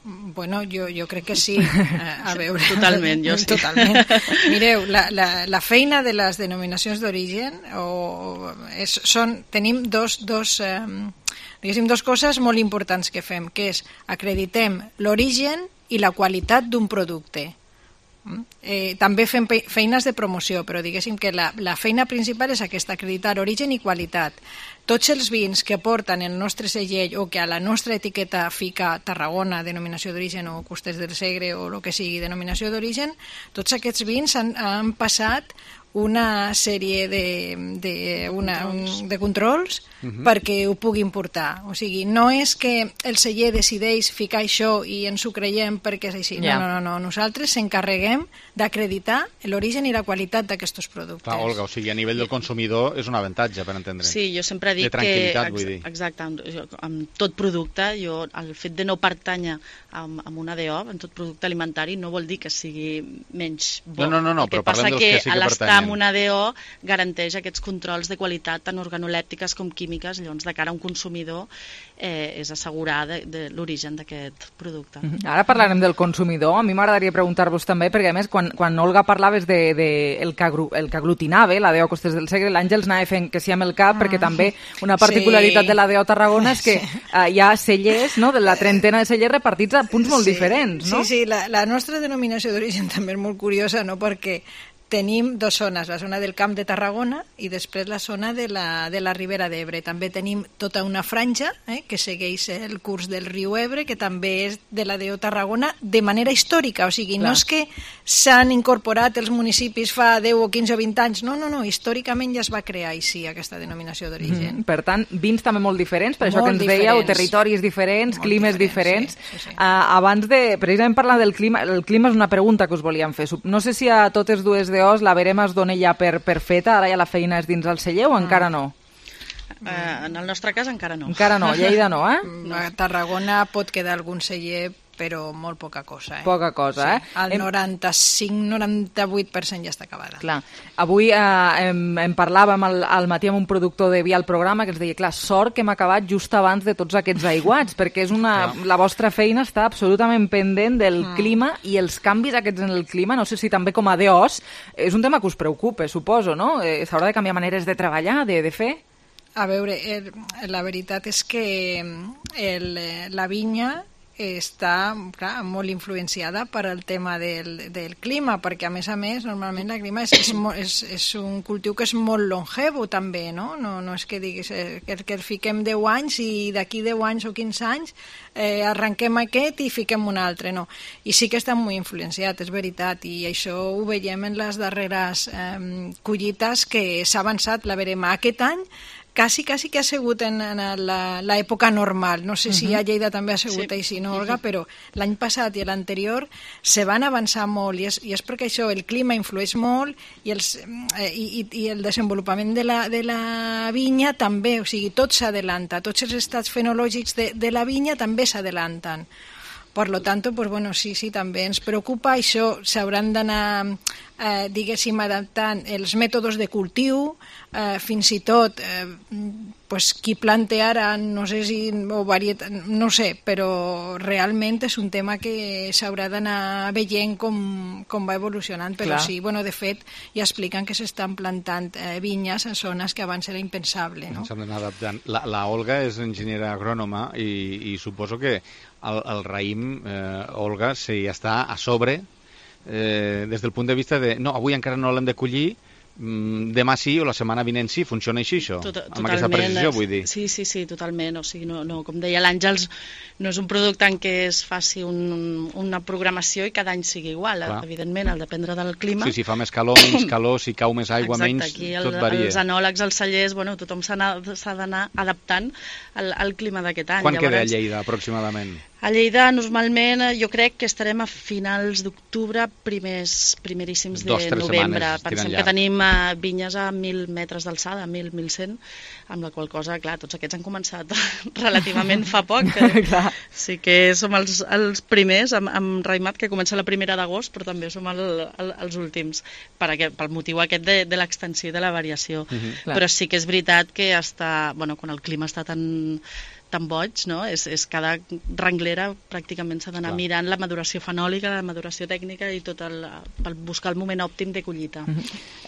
Bueno, jo crec que sí. A veure... Totalment, jo sí. Totalment. Mireu, la feina de les denominacions d'origen tenim dos coses molt importants que fem, que és acreditem l'origen i la qualitat d'un producte. També fem feines de promoció, però diguéssim que la feina principal és aquesta, acreditar origen i qualitat. Tots els vins que porten el nostre segell o que a la nostra etiqueta fica Tarragona, denominació d'origen, o Costes del Segre o el que sigui, denominació d'origen, tots aquests vins han passat una sèrie de controls perquè ho puguin portar. O sigui, no és que el celler decideix ficar això i ens ho creiem perquè és així. No. Nosaltres s'encarreguem d'acreditar l'origen i la qualitat d'aquests productes. Clar, Olga, o sigui, a nivell del consumidor és un avantatge, per entendre. Sí, jo sempre dic que... Exacte, amb tot producte, el fet de no pertànyer a una DO, en tot producte alimentari, no vol dir que sigui menys bo. No, però parlem dels que sí que pertanyen. Amb una DO garanteix aquests controls de qualitat tant organolèptiques com químiques, llavors de cara a un consumidor és assegurar de l'origen d'aquest producte. Ara parlarem del consumidor. A mi m'agradaria preguntar-vos també, perquè a més quan Olga parlaves el que aglutinava la DO Costes del Segre, l'Àngels anava fent que sí amb el cap, perquè també una particularitat de la DO Tarragona és que hi ha cellers, no?, de la trentena de cellers repartits a punts molt diferents, no? Sí, la nostra denominació d'origen també és molt curiosa, no?, perquè tenim dues zones, la zona del Camp de Tarragona i després la zona de la Ribera d'Ebre. També tenim tota una franja que segueix el curs del riu Ebre, que també és de la DO Tarragona de manera històrica, o sigui, no és que s'han incorporat els municipis fa 10 o 15 o 20 anys, no, històricament ja es va crear així aquesta denominació d'origen. Per tant, vins també molt diferents, per això que ens dèieu, territoris diferents, climes diferents. Abans de, precisament parlar del clima, el clima és una pregunta que us volíem fer. No sé si a totes dues DOs la verema es dona ja per feta, ara ja la feina és dins el celler o encara no? En el nostre cas encara no. Encara no, Lleida no, eh? A Tarragona pot quedar algun celler, però molt poca cosa. Poca cosa, El 95-98% ja està acabada. Clar. Avui em parlàvem al matí amb un productor de vi al programa que ens deia, clar, sort que hem acabat just abans de tots aquests aiguats, perquè és la vostra feina està absolutament pendent del clima i els canvis aquests en el clima, no sé si també com a DOs, és un tema que us preocupa, suposo, no? S'haurà de canviar maneres de treballar, de fer? A veure, la veritat és que la vinya està molt influenciada per el tema del clima, perquè a més, normalment el clima és un cultiu que és molt longevo també, no? No és que diguis que fiquem 10 anys i d'aquí 10 anys o 15 anys arrenquem aquest i fiquem un altre, no. I sí que està molt influenciat, és veritat, i això ho veiem en les darreres collites que s'ha avançat la verema aquest any. Quasi que ha sigut en l'època normal. No sé si a Lleida també ha sigut així, no, Olga? Però l'any passat i l'anterior se van avançar molt i és perquè això, el clima influeix molt i el desenvolupament de la vinya també, o sigui, tot s'adelanta, tots els estats fenològics de la vinya també s'adelanten. Per lo tanto, pues bueno, sí, també ens preocupa. Això s'hauran d'anar, diguéssim, adaptant els mètodes de cultiu, fins i tot, pues, qui planta ara, no sé si, o varietat, no sé, però realment és un tema que s'haurà d'anar veient com va evolucionant, però sí, bueno, de fet, ja expliquen que s'estan plantant vinyes a zones que abans era impensable, no? S'han d'anar adaptant. La Olga és enginyera agrònoma i suposo que el raïm, Olga, si està a sobre, des del punt de vista de, no, avui encara no l'hem de collir, demà sí o la setmana vinent sí, funciona així això? Amb aquesta precisió, vull dir. Sí, totalment. O sigui, no, com deia l'Àngels, no és un producte en què es faci una programació i cada any sigui igual. Evidentment, al dependre del clima. Sí, si fa més calor, menys calor, si cau més aigua, menys, tot varia. Els enòlegs, els cellers, bueno, tothom s'ha d'anar adaptant al clima d'aquest any. Quan queda a Lleida, aproximadament? A Lleida, normalment, jo crec que estarem a finals d'octubre, primeríssims de novembre. Pensem que tenim vinyes a 1.000 metres d'alçada, 1.100, amb la qual cosa, clar, tots aquests han començat relativament fa poc. Sí que som els primers, amb raïmat, que comença la 1 d'agost, però també som els últims, pel motiu aquest de l'extensió i de la variació. Però sí que és veritat que quan el clima està tan boig, no? És cada renglera pràcticament s'ha d'anar mirant la maduració fenòlica, la maduració tècnica i tot per buscar el moment òptim de collita.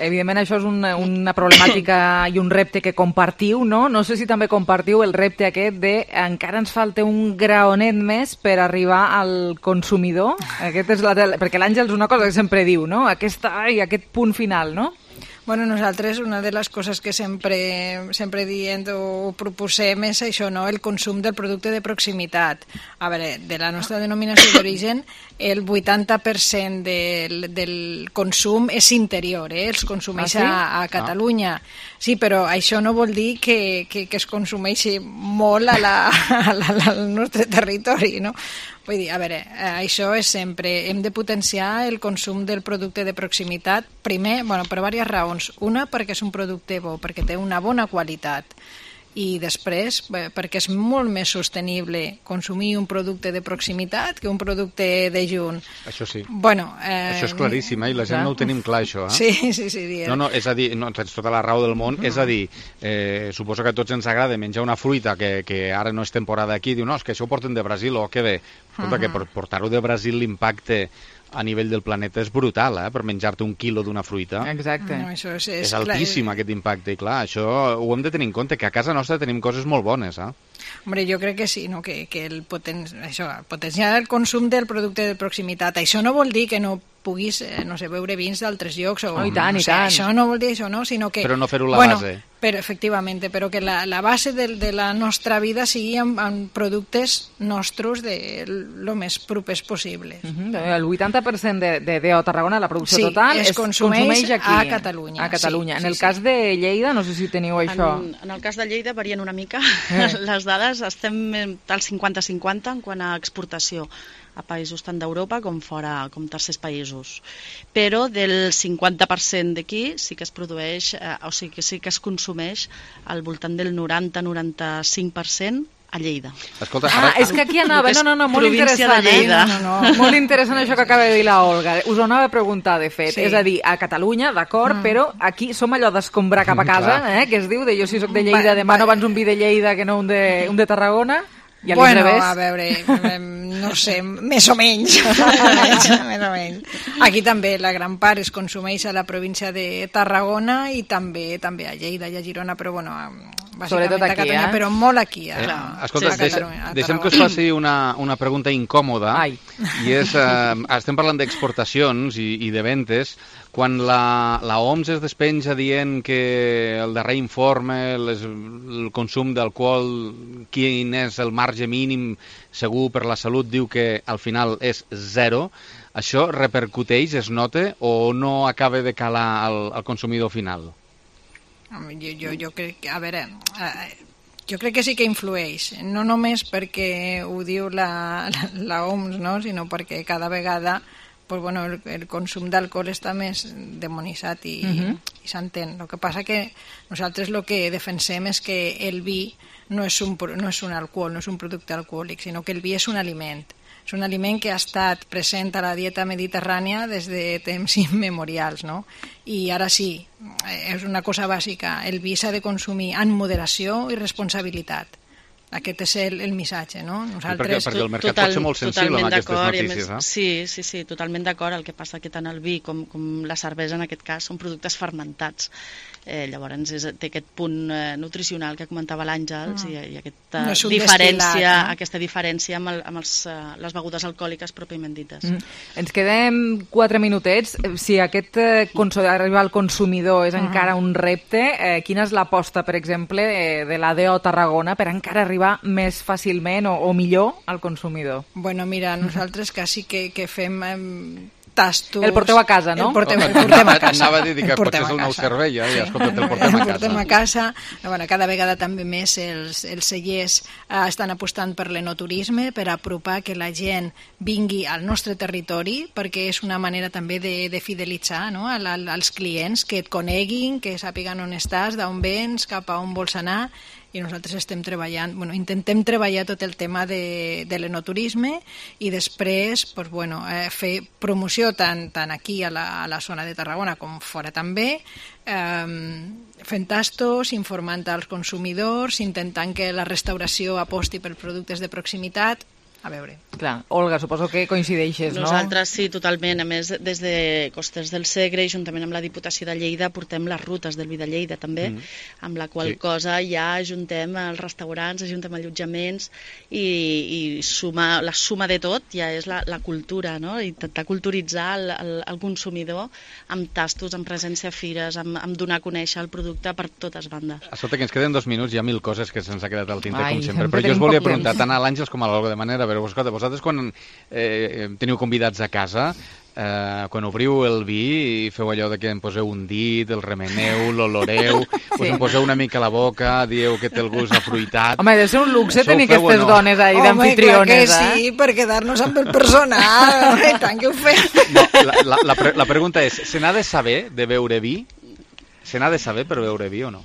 Evidentment això és una problemàtica i un repte que compartiu, no? No sé si també compartiu el repte aquest de encara ens falta un graonet més per arribar al consumidor. Perquè l'Àngels una cosa que sempre diu, no? Aquest punt final, no? Bueno, nosaltres una de les coses que sempre diem o proposem és això, no? El consum del producte de proximitat. A veure, de la nostra denominació d'origen, el 80% del consum és interior, els consumeix a Catalunya. Sí, però això no vol dir que es consumeixi molt al nostre territori, no? Vull dir, a veure, això és sempre... Hem de potenciar el consum del producte de proximitat, primer, per diverses raons. Una, perquè és un producte bo, perquè té una bona qualitat. I després, perquè és molt més sostenible consumir un producte de proximitat que un producte de junt. Això sí. Bueno, això és claríssim, i la gent no ho tenim clar, això. Sí. No, és a dir, tens tota la raó del món, és a dir, suposo que a tots ens agrada menjar una fruita que ara no és temporada aquí, diu, no, és que això ho porten de Brasil, que bé. Escolta, que per portar-ho de Brasil l'impacte a nivell del planeta és brutal, per menjar-te un quilo d'una fruita. Exacte. No, és altíssim aquest impacte, i clar, això ho hem de tenir en compte, que a casa nostra tenim coses molt bones, Hombre, jo crec que sí, no? Que potenciar el consum del producte de proximitat. Això no vol dir que no puguis, no sé, beure vins d'altres llocs. I tant. Això no vol dir això, no? Sinó que, però no fer-ho la base. Efectivament, però que la base de la nostra vida sigui amb productes nostres de lo més propers possible. El 80% de DO Tarragona, la producció total, es consumeix aquí, a Catalunya. A Catalunya. En el cas de Lleida, no sé si teniu això. En el cas de Lleida varien una mica les dades, estem al 50-50 en quant a exportació a països tant d'Europa com fora, com tercers països. Però del 50% d'aquí sí que es produeix, o sigui que sí que es consumeix al voltant del 90-95% a Lleida. Escolta, és que aquí anava, no, molt interessant, molt interessant això que acaba de dir la Olga. Us ho anava a preguntar, de fet. És a dir, a Catalunya, d'acord, però aquí som allò d'escombrar cap a casa, que es diu, de jo si soc de Lleida, demano abans un vi de Lleida que no un de Tarragona. Bueno, a veure, no sé, més o menys. Més o menys. Aquí també la gran part es consumeix a la província de Tarragona i també a Lleida i a Girona, però bueno, bàsicament a Catalunya, però molt aquí. Escolta, deixem que us faci una pregunta incòmoda, i és, estem parlant d'exportacions i de ventes. Quan la OMS es despenja dient que el darrer informe, el consum d'alcohol, quin és el marge mínim segur per la salut, diu que al final és 0, això repercuteix, es nota, o no acaba de calar al consumidor final? Jo crec que, a veure, jo crec que sí que influeix, no només perquè ho diu la OMS, no? Sinó perquè cada vegada pues bueno, el consum d'alcohol està més demonitzat i s'entén. El que passa que nosaltres el que defensem és que el vi no és un alcohol, no és un producte alcohòlic, sinó que el vi és un aliment. És un aliment que ha estat present a la dieta mediterrània des de temps immemorials, no? I ara sí, és una cosa bàsica, el vi s'ha de consumir amb moderació i responsabilitat. Aquest és el missatge, no? Nosaltres... Perquè el mercat pot ser molt sensible amb aquestes notícies, no? Sí, totalment d'acord. El que passa que tant el vi com la cervesa, en aquest cas, són productes fermentats. Llavors té aquest punt nutricional que comentava l'Àngels i aquesta diferència amb les begudes alcohòliques pròpiament dites. Ens quedem 4 minutets. Si aquest arribar al consumidor és encara un repte, quina és l'aposta, per exemple, de la DO Tarragona per encara arribar més fàcilment o millor al consumidor? Bueno, mira, nosaltres quasi que fem... tastos... El porteu a casa, no? El portem a casa. Anava a dir que potser és el nou servei, i escolta, el portem a casa. Bueno, cada vegada també més els cellers estan apostant per l'enoturisme, per apropar que la gent vingui al nostre territori, perquè és una manera també de fidelitzar, no? als clients, que et coneguin, que sàpiguen on estàs, d'on vens, cap a on vols anar, i nosaltres estem treballant, intentem treballar tot el tema de l'enoturisme i després fer promoció tant aquí a la zona de Tarragona com fora també, fent tastos, informant als consumidors, intentant que la restauració aposti per productes de proximitat. A veure. Clar, Olga, suposo que coincideixes, no? Nosaltres sí, totalment. A més, des de Costers del Segre, juntament amb la Diputació de Lleida, portem les rutes del vi de Lleida, també, amb la qual cosa ja ajuntem els restaurants, ajuntem allotjaments i la suma de tot ja és la cultura, no? Intentar culturitzar el consumidor amb tastos, amb presència a fires, amb donar a conèixer el producte per totes bandes. Escolta, que ens queden 2 minuts, hi ha 1000 coses que se'ns ha quedat al tinter, com sempre, però jo us volia preguntar tant a l'Àngels com a l'Olga, de manera, però escolta, vosaltres quan teniu convidats a casa, quan obriu el vi i feu allò de que em poseu un dit, el remeneu, l'oloreu, us em poseu una mica a la boca, dieu que té el gust afruitat... Home, deu ser un luxe tenir aquestes dones ahí d'amfitriones, Home, clar que sí, per quedar-nos amb el personal, i tant que ho fem. La pregunta és, se n'ha de saber de beure vi? Se n'ha de saber per beure vi o no?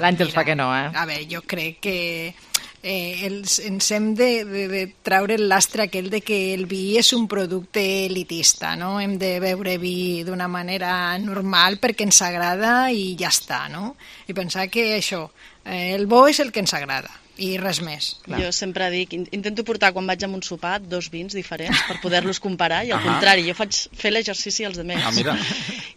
L'Àngels fa que no, eh? A veure, jo crec que ens hem de traure el lastre aquell de que el vi és un producte elitista, no? Hem de beure vi d'una manera normal perquè ens agrada i ja està, no? I pensar que això, el bo és el que ens agrada i res més. Jo sempre dic, intento portar quan vaig a un sopar 2 vins diferents per poder-los comparar i al contrari, jo faig fer l'exercici als altres. Mira.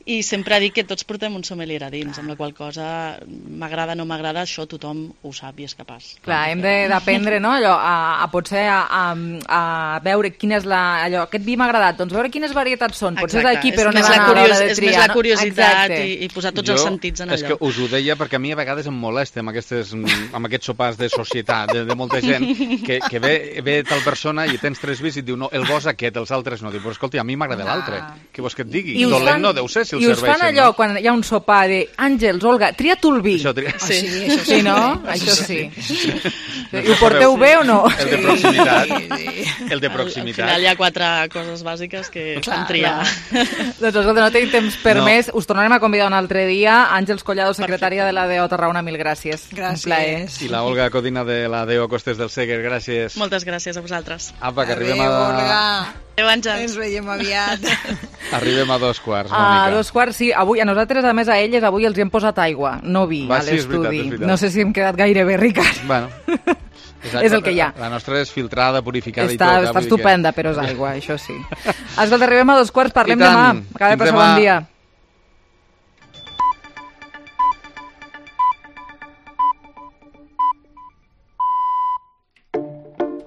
i sempre dic que tots portem un sommelier a dins, amb la qual cosa m'agrada o no m'agrada, això tothom ho sap i és capaç. Clar, hem d'aprendre, no?, allò, potser a veure quina és allò, aquest vi m'ha agradat, doncs veure quines varietats són, potser és d'aquí però no va anar a l'hora de triar. És més la curiositat i posar tots els sentits en allò. És que us ho deia perquè a mi a vegades em molesta amb aquests sopars de societat, de molta gent, que ve tal persona i tens 3 vins i et diu, no, el bo és aquest, els altres no. Diu, però escolta, a mi m'agrada l'altre. Què vols que et digui? Dolent no deu ser si el serveixen. I us fan allò, quan hi ha un sopar de Àngels, Olga, tria tu el vi. Sí, no? Això sí. I ho porteu bé o no? El de proximitat. El de proximitat. Al final hi ha 4 coses bàsiques que fan triar. Doncs escolta, no tenim temps per més. Us tornarem a convidar un altre dia. Àngels Collado, secretària de la DO Tarragona, mil gràcies. Gràcies. I la Olga Codina de la DO Costes del Segre, gràcies. Moltes gràcies a vosaltres. Apa, que arribem a... Olga. Adéu, Àngels. Ens veiem aviat. Arribem a 2:15, Mònica. A 2:15, sí. Avui, a nosaltres, a més a elles, avui els hi hem posat aigua, no vi, a l'estudi. És veritat. No sé si hem quedat gaire bé, Ricard. Bueno, és el que hi ha. La nostra és filtrada, purificada i tot. Està estupenda, però és aigua, això sí. Escolta, arribem a 2:15, parlem demà. Acaba de passar bon dia.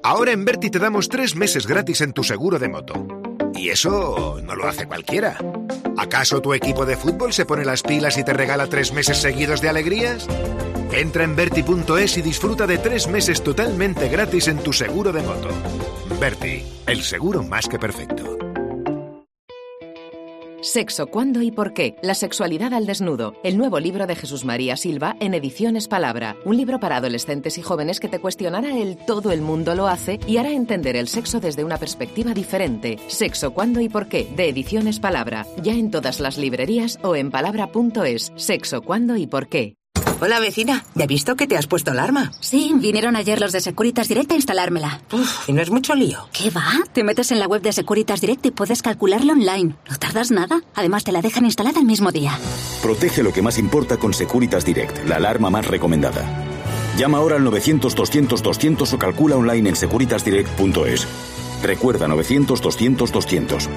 Ahora en Berti te damos 3 meses gratis en tu seguro de moto. Y eso no lo hace cualquiera. ¿Acaso tu equipo de fútbol se pone las pilas y te regala 3 meses seguidos de alegrías? Entra en Berti.es y disfruta de 3 meses totalmente gratis en tu seguro de moto. Berti, el seguro más que perfecto. Sexo, ¿cuándo y por qué? La sexualidad al desnudo. El nuevo libro de Jesús María Silva en Ediciones Palabra. Un libro para adolescentes y jóvenes que te cuestionará el todo el mundo lo hace y hará entender el sexo desde una perspectiva diferente. Sexo, ¿cuándo y por qué? De Ediciones Palabra. Ya en todas las librerías o en palabra.es. Sexo, ¿cuándo y por qué? Hola, vecina. ¿Ya he visto que te has puesto alarma? Sí, vinieron ayer los de Securitas Direct a instalármela. ¿Y no es mucho lío? ¿Qué va? Te metes en la web de Securitas Direct y puedes calcularlo online. No tardas nada. Además, te la dejan instalada el mismo día. Protege lo que más importa con Securitas Direct, la alarma más recomendada. Llama ahora al 900-200-200 o calcula online en securitasdirect.es. Recuerda, 900-200-200.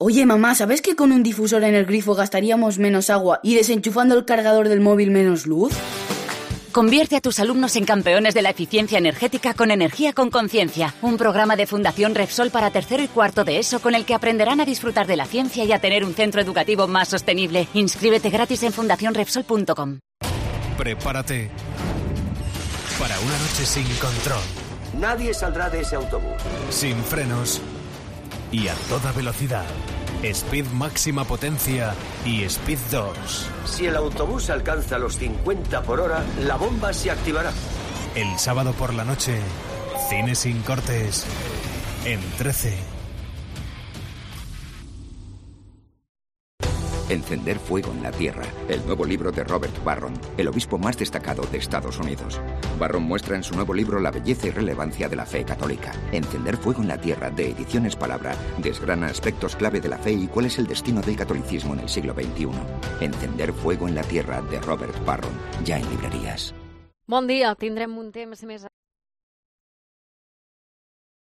Oye, mamá, ¿sabes que con un difusor en el grifo gastaríamos menos agua y desenchufando el cargador del móvil menos luz? Convierte a tus alumnos en campeones de la eficiencia energética con Energía con Conciencia, un programa de Fundación Repsol para 3º y 4º de ESO con el que aprenderán a disfrutar de la ciencia y a tener un centro educativo más sostenible. Inscríbete gratis en fundacionrepsol.com. Prepárate para una noche sin control. Nadie saldrá de ese autobús. Sin frenos y a toda velocidad. Speed máxima potencia y Speed 2. Si el autobús alcanza los 50 por hora, la bomba se activará. El sábado por la noche, cine sin cortes en 13. Encender fuego en la tierra, el nuevo libro de Robert Barron, el obispo más destacado de Estados Unidos. Barron muestra en su nuevo libro la belleza y relevancia de la fe católica. Encender fuego en la tierra, de Ediciones Palabra, desgrana aspectos clave de la fe y cuál es el destino del catolicismo en el siglo XXI. Encender fuego en la tierra, de Robert Barron, ya en librerías. Bon dia, tindrem un temps més...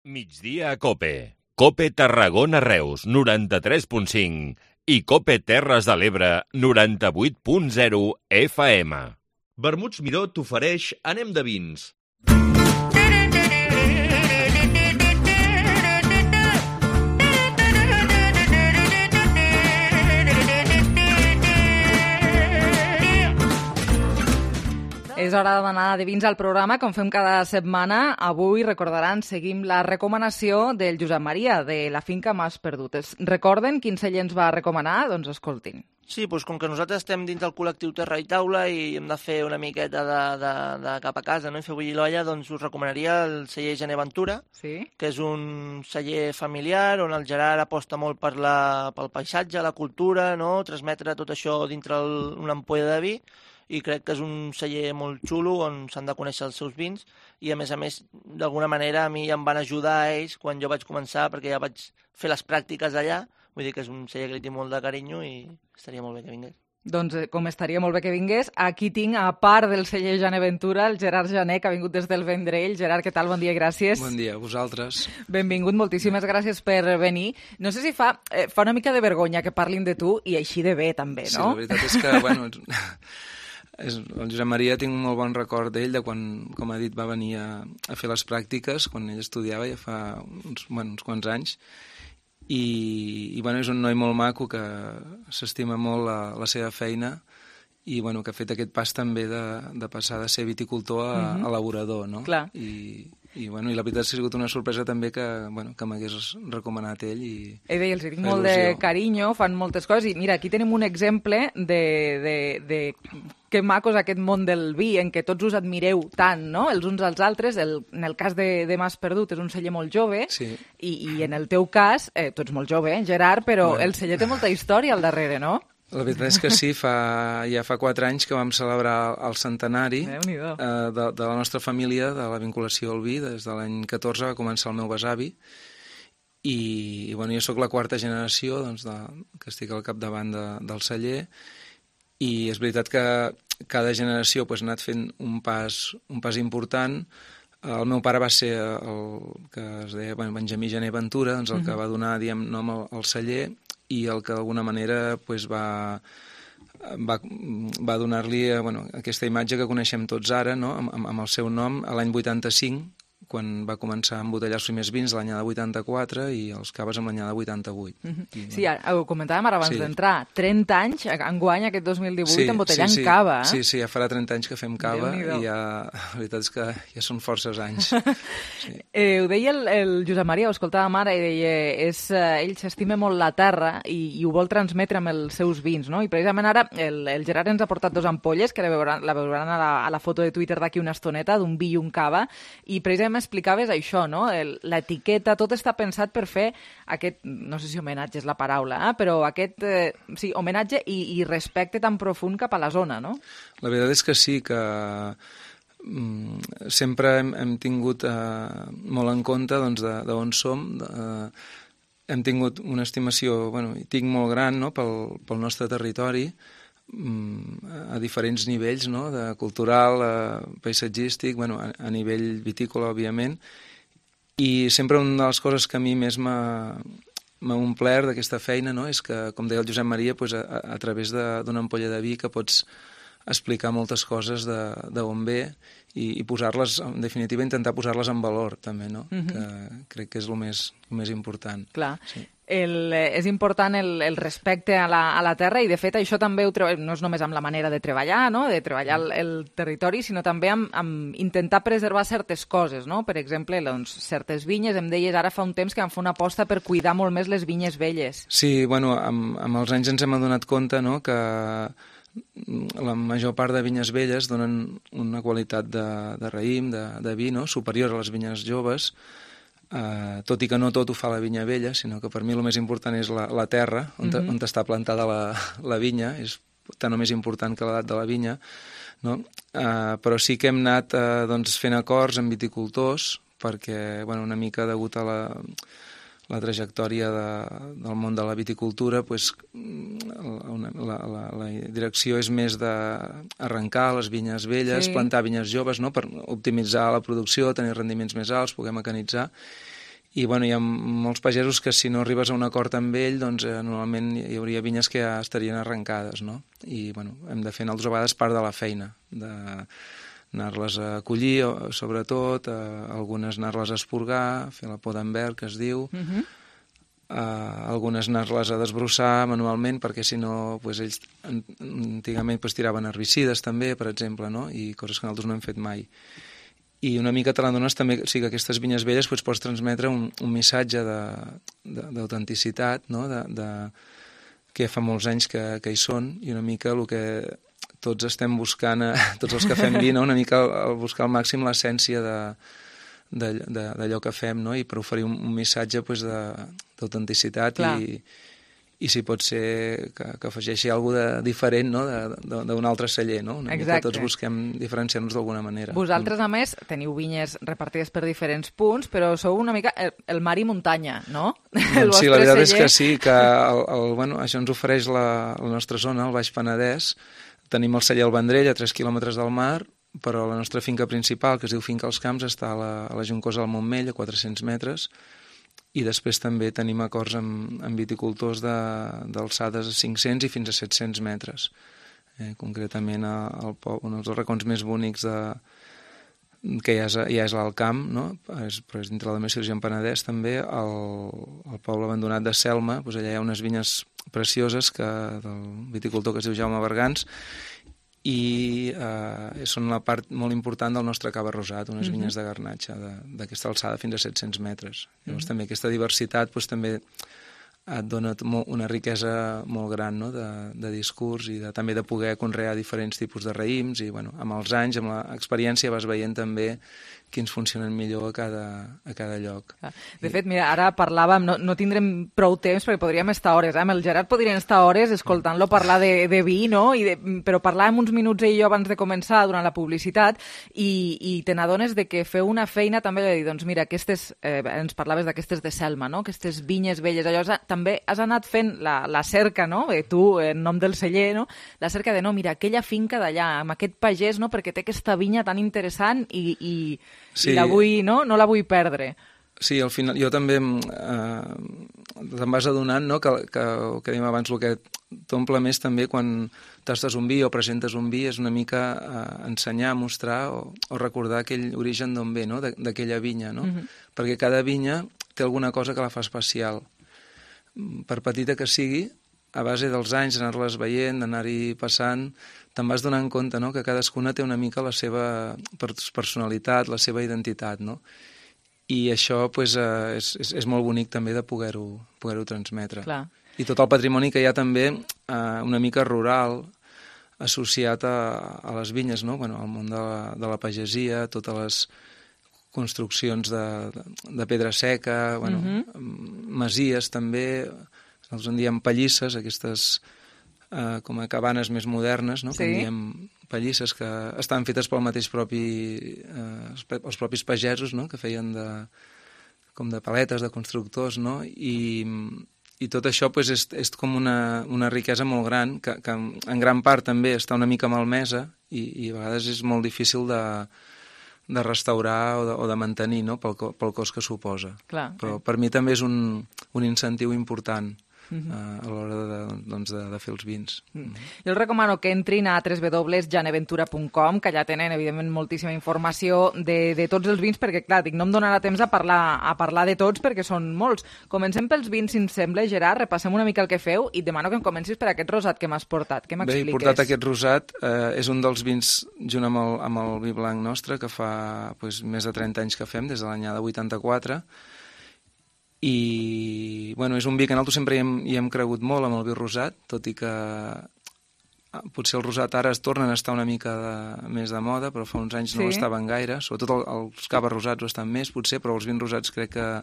Migdia a COPE. COPE Tarragona Reus, 93.5. I COPE Terres de l'Ebre, 98.0 FM. Vermuts Miró t'ofereix Anem de vins. És hora d'anar de vins al programa, com fem cada setmana. Avui, recordaran, seguim la recomanació del Josep Maria, de la finca Mas Perdutes. Recorden quin celler ens va recomanar? Doncs escoltin. Sí, doncs com que nosaltres estem dins del col·lectiu Terra i Taula i hem de fer una miqueta de cap a casa, no? I fer bullir l'olla, doncs us recomanaria el celler Gené Ventura, sí? Que és un celler familiar on el Gerard aposta molt pel paisatge, la cultura, no? Transmetre tot això dintre una ampolla de vi, i crec que és un celler molt xulo on s'han de conèixer els seus vins i a més, d'alguna manera a mi em van ajudar a ells quan jo vaig començar perquè ja vaig fer les pràctiques allà, vull dir que és un celler que li tinc molt de carinyo i estaria molt bé que vingués. Doncs com estaria molt bé que vingués, aquí tinc, a part del celler Jané Ventura, el Gerard Jané, que ha vingut des del Vendrell. Gerard, què tal? Bon dia i gràcies. Bon dia, a vosaltres. Benvingut, moltíssimes gràcies per venir. No sé si fa una mica de vergonya que parlin de tu i així de bé, també, no? Sí, la veritat és que, bueno, el Josep Maria tinc un molt bon record d'ell, de quan, com ha dit, va venir a fer les pràctiques, quan ell estudiava ja fa uns quants anys. I bueno, és un noi molt maco que s'estima molt la seva feina i bueno, que ha fet aquest pas també de passar de ser viticultor a elaborador, no? Clar. I bueno, i la veritat ha sigut una sorpresa també que m'hagués recomanat ell. Deia, els tinc molt de carinyo, fan moltes coses i mira, aquí tenim un exemple de que maco és aquest món del vi en què tots us admireu tant, no?, els uns als altres. En el cas de Mas Perdut és un celler molt jove i en el teu cas, tu ets molt jove, Gerard, però el celler té molta història al darrere, no? La veritat és que sí, ja fa 4 anys que vam celebrar el centenari de la nostra família, de la vinculació al vi. Des de l'any 14 va començar el meu besavi i bueno, jo sóc la 4a generació que estic al capdavant del celler i és veritat que cada generació ha anat fent un pas important. El meu pare va ser el que es deia Benjamí Jané Ventura, el que va donar nom al celler i el que d'alguna manera va donar-li aquesta imatge que coneixem tots ara, no?, amb el seu nom, a l'any 85, quan va començar a embotellar els primers vins l'anyada 84 i els caves amb l'anyada 88. Sí, ho comentàvem ara abans d'entrar. 30 anys, enguany, aquest 2018, embotellant cava. Sí, ja farà 30 anys que fem cava i la veritat és que ja són forces anys. Ho deia el Josep Maria, ho escoltàvem ara, i deia ell s'estima molt la terra i ho vol transmetre amb els seus vins, no? I precisament ara el Gerard ens ha portat 2 ampolles, que la veuran a la foto de Twitter d'aquí una estoneta, d'un vi i un cava, i precisament explicaves això, no? L'etiqueta, tot està pensat per fer aquest, no sé si homenatge és la paraula, però aquest homenatge i respecte tan profund cap a la zona, no? La veritat és que sí, que sempre hem tingut molt en compte d'on som. Hem tingut una estimació, i tinc molt gran, no?, pel nostre territori, a diferents nivells, no?, de cultural, paisatgístic, a nivell vitícola, òbviament, i sempre una de les coses que a mi més m'ha omplert d'aquesta feina, no?, és que, com deia el Josep Maria, a través d'una ampolla de vi que pots explicar moltes coses d'on ve i posar-les, en definitiva, intentar posar-les en valor, també, no?, que crec que és el més important. Clar. És important el respecte a la terra i, de fet, això també no és només amb la manera de treballar, no?, de treballar el territori, sinó també amb intentar preservar certes coses, no? Per exemple, certes vinyes, em deies ara fa un temps que vam fer una aposta per cuidar molt més les vinyes velles. Sí, amb els anys ens hem adonat compte, no?, que la major part de vinyes velles donen una qualitat de raïm, de vi, no?, superior a les vinyes joves, tot i que no tot ho fa la vinya vella, sinó que per mi el més important és la terra on està plantada la vinya, és tant o més important que l'edat de la vinya, no? Però sí que hem anat fent acords amb viticultors perquè, una mica degut a la trajectòria del món de la viticultura, la direcció és més d'arrencar les vinyes velles, plantar vinyes joves, no?, per optimitzar la producció, tenir rendiments més alts, poder mecanitzar. I hi ha molts pagesos que si no arribes a un acord amb ell, normalment hi hauria vinyes que ja estarien arrencades, no? I hem de fer altres vegades part de la feina, anar-les a collir, sobretot, algunes anar-les a esporgar, fer la poda en verd, que es diu, algunes anar-les a desbrossar manualment, perquè si no, ells antigament tiraven herbicides també, per exemple, no?, i coses que nosaltres no hem fet mai. I una mica te l'adones també, o sigui, que aquestes vinyes velles pots transmetre un missatge d'autenticitat, no?, que fa molts anys que hi són, i una mica el que tots estem buscant, tots els que fem vi, no?, una mica buscar al màxim l'essència d'allò que fem, no?, i per oferir un missatge d'autenticitat i si pot ser que afegeixi alguna cosa diferent, no?, d'un altre celler, no? Una mica tots busquem diferenciar-nos d'alguna manera. Vosaltres, a més, teniu vinyes repartides per diferents punts, però sou una mica el mar i muntanya, no? Doncs sí, la veritat és que sí, que això ens ofereix la nostra zona, el Baix Penedès. Tenim el celler El Vendrell, a 3 quilòmetres del mar, però la nostra finca principal, que es diu Finca als Camps, està a la Juncosa del Montmell, a 400 metres, i després també tenim acords amb viticultors d'alçades a 500 i fins a 700 metres. Concretament, un dels racons més bonics que ja és l'Alt Camp, no? Però és dintre la Demarcació del Penedès també, el poble abandonat de Selma, doncs allà hi ha unes vinyes precioses del viticultor que es diu Jaume Bergans, i són la part molt important del nostre cava rosat, unes vinyes de garnatxa d'aquesta alçada fins a 700 metres. Llavors també aquesta diversitat també et dona una riquesa molt gran, no?, de discurs i també de poder conrear diferents tipus de raïms i amb els anys, amb l'experiència vas veient també quins funcionen millor a cada lloc. De fet, mira, ara parlàvem, no tindrem prou temps perquè podríem estar hores, amb el Gerard podríem estar hores escoltant-lo parlar de vi, no? Però parlàvem uns minuts ell i jo abans de començar durant la publicitat i te n'adones de que feu una feina també de dir, doncs mira, ens parlaves d'aquestes de Selma, no?, aquestes vinyes velles, allò també has anat fent la cerca, no?, tu, en nom del celler, no?, la cerca de, no, mira, aquella finca d'allà, amb aquest pagès, no?, perquè té aquesta vinya tan interessant i la vull, no la vull perdre. Sí, al final jo també te'n vas adonant, no?, que dèiem abans, el que t'omple més també quan tastes un vi o presentes un vi és una mica ensenyar, mostrar o recordar aquell origen d'on ve, no?, d'aquella vinya, no? Perquè cada vinya té alguna cosa que la fa especial. Per petita que sigui, a base dels anys, anar-les veient, d'anar-hi passant, te'n vas donant compte, no?, que cadascuna té una mica la seva personalitat, la seva identitat, no? I això és molt bonic també de poder-ho transmetre. Clar. I tot el patrimoni que hi ha també una mica rural, associat a les vinyes, no?, al món de la pagesia, totes les construccions de pedra seca, masies també, nosaltres en diem pallisses, aquestes com a cabanes més modernes, no?, que en diem pallisses, que estan fetes els propis pagesos, no?, que feien com de paletes, de constructors, no?, i tot això és com una riquesa molt gran, que en gran part també està una mica malmesa i a vegades és molt difícil de restaurar o de mantenir, no?, pel cost que suposa. Però per mi també és un incentiu important a l'hora de fer els vins. Jo els recomano que entrin a www.janeventura.com, que allà tenen, evidentment, moltíssima informació de tots els vins, perquè, clar, no em donarà temps a parlar de tots, perquè són molts. Comencem pels vins, si ens sembla, Gerard, repassem una mica el que feu i demano que em comencis per aquest rosat que m'has portat. Què m'expliques? Bé, he portat aquest rosat, és un dels vins, junt amb el vi blanc nostre, que fa més de 30 anys que fem, des de l'any de 84, i és un vi que nosaltres sempre hi hem cregut molt amb el vi rosat, tot i que potser el rosat ara es tornen a estar una mica més de moda, però fa uns anys no ho estaven gaire, sobretot els caves rosats ho estan més potser, però els vins rosats crec que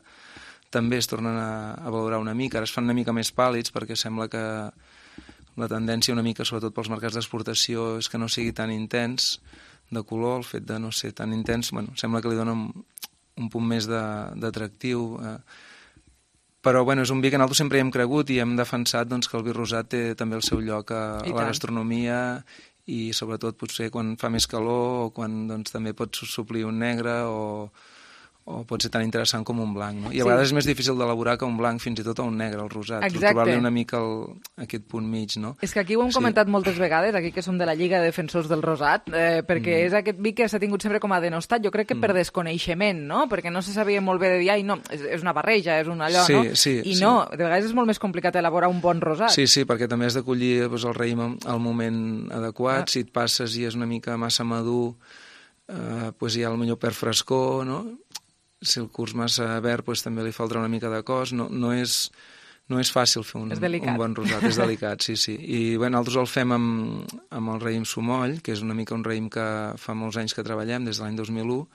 també es tornen a valorar una mica, ara es fan una mica més pàl·lids perquè sembla que la tendència una mica, sobretot pels mercats d'exportació, és que no sigui tan intens de color, el fet de no ser tan intens, sembla que li dona un punt més d'atractiu. Però és un vi que nosaltres sempre hi hem cregut i hem defensat que el vi rosat té també el seu lloc a la gastronomia i sobretot potser quan fa més calor o quan també pots suplir un negre o pot ser tan interessant com un blanc, no? I a vegades és més difícil d'elaborar que un blanc, fins i tot a un negre, el rosat. Trobar-li una mica aquest punt mig, no? És que aquí ho hem comentat moltes vegades, aquí que som de la Lliga de Defensors del Rosat, perquè és aquest vi que s'ha tingut sempre com a denostat, jo crec que per desconeixement, no? Perquè no se sabia molt bé de dir, no, és una barreja, és un allò, no? I no, de vegades és molt més complicat elaborar un bon rosat. Sí, perquè també has de collir el raïm al moment adequat, si et passes i és una mica massa madur, hi ha potser perd frescor, no? Si el curs massa verd també li faltarà una mica de cos, no és fàcil fer un bon rosat, és delicat, sí. I nosaltres el fem amb el raïm Somoll, que és una mica un raïm que fa molts anys que treballem, des de l'any 2001.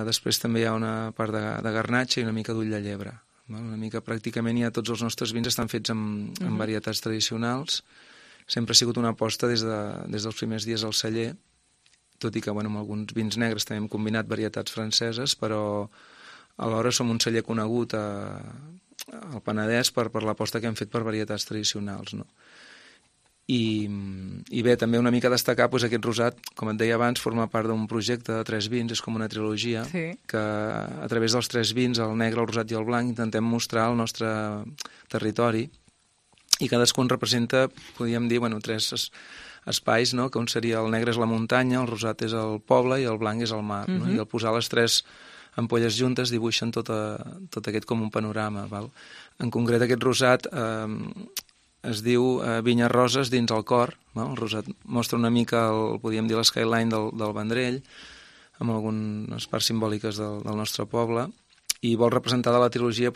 Després també hi ha una part de garnatxa i una mica d'ull de llebre. Una mica pràcticament ja tots els nostres vins estan fets amb varietats tradicionals. Sempre ha sigut una aposta des dels primers dies al celler, tot i que amb alguns vins negres també hem combinat varietats franceses, però alhora som un celler conegut al Penedès per l'aposta que hem fet per varietats tradicionals, no? I bé, també una mica destacar aquest rosat, com et deia abans, forma part d'un projecte de 3 vins, és com una trilogia, que a través dels 3 vins, el negre, el rosat i el blanc, intentem mostrar el nostre territori, i cadascun representa, podríem dir, 3 espais, no? Que un seria el negre és la muntanya, el rosat és el poble i el blanc és el mar, no? I al posar les 3 ampolles juntes dibuixen tot aquest com un panorama, val? En concret aquest rosat es diu Vinyes Roses dins el cor, no? El rosat mostra una mica, podríem dir, l'skyline del Vendrell, amb algunes parts simbòliques del nostre poble, i vol representar de la trilogia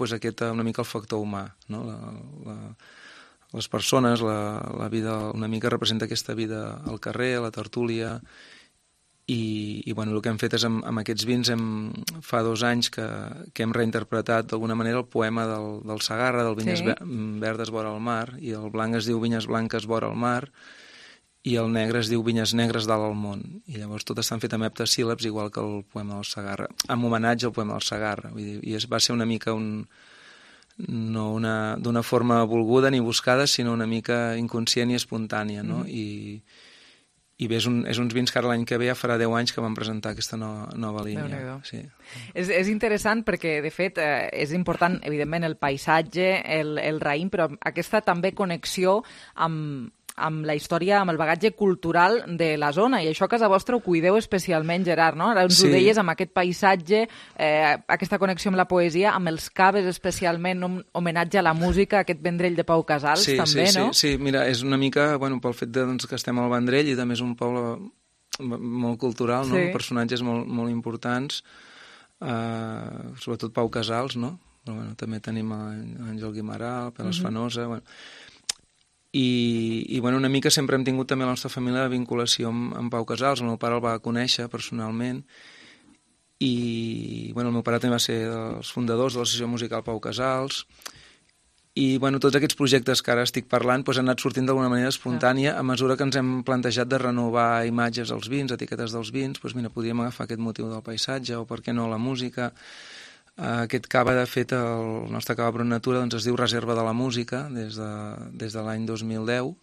una mica el factor humà, no? Les persones, la vida, una mica representa aquesta vida al carrer, a la tertúlia, i el que hem fet és amb aquests vins fa 2 anys que hem reinterpretat d'alguna manera el poema del Segarra, del Vinyes verdes vora el mar, i el blanc es diu Vinyes blanques vora el mar, i el negre es diu Vinyes negres dalt al món, i llavors tot estan fet amb heptasíl·labs igual que el poema del Segarra, amb homenatge al poema del Segarra, i va ser una mica no d'una forma volguda ni buscada, sinó una mica inconscient i espontània, no? I bé, és uns vins que ara l'any que ve ja farà 10 anys que vam presentar aquesta nova línia. Sí. És interessant perquè, de fet, és important, evidentment, el paisatge, el raïm, però aquesta també connexió amb la història, amb el bagatge cultural de la zona, i això a casa vostra ho cuideu especialment, Gerard, no? Ara ens ho deies, amb aquest paisatge, aquesta connexió amb la poesia, amb els caves especialment, un homenatge a la música, aquest Vendrell de Pau Casals, també, no? Sí, mira, és una mica, pel fet que estem al Vendrell, i també és un poble molt cultural, no? Personatges molt importants, sobretot Pau Casals, no? Però també tenim Àngel Guimarà, Peles Fanosa, i una mica sempre hem tingut també a la nostra família la vinculació amb Pau Casals. El meu pare el va conèixer personalment, i el meu pare també va ser dels fundadors de l'associació musical Pau Casals, i tots aquests projectes que ara estic parlant han anat sortint d'alguna manera espontània a mesura que ens hem plantejat de renovar imatges dels vins, etiquetes dels vins. Podríem agafar aquest motiu del paisatge, o per què no la música. Aquest cava, de fet, el nostre cava Brut Natura, es diu Reserva de la Música des de l'any 2010,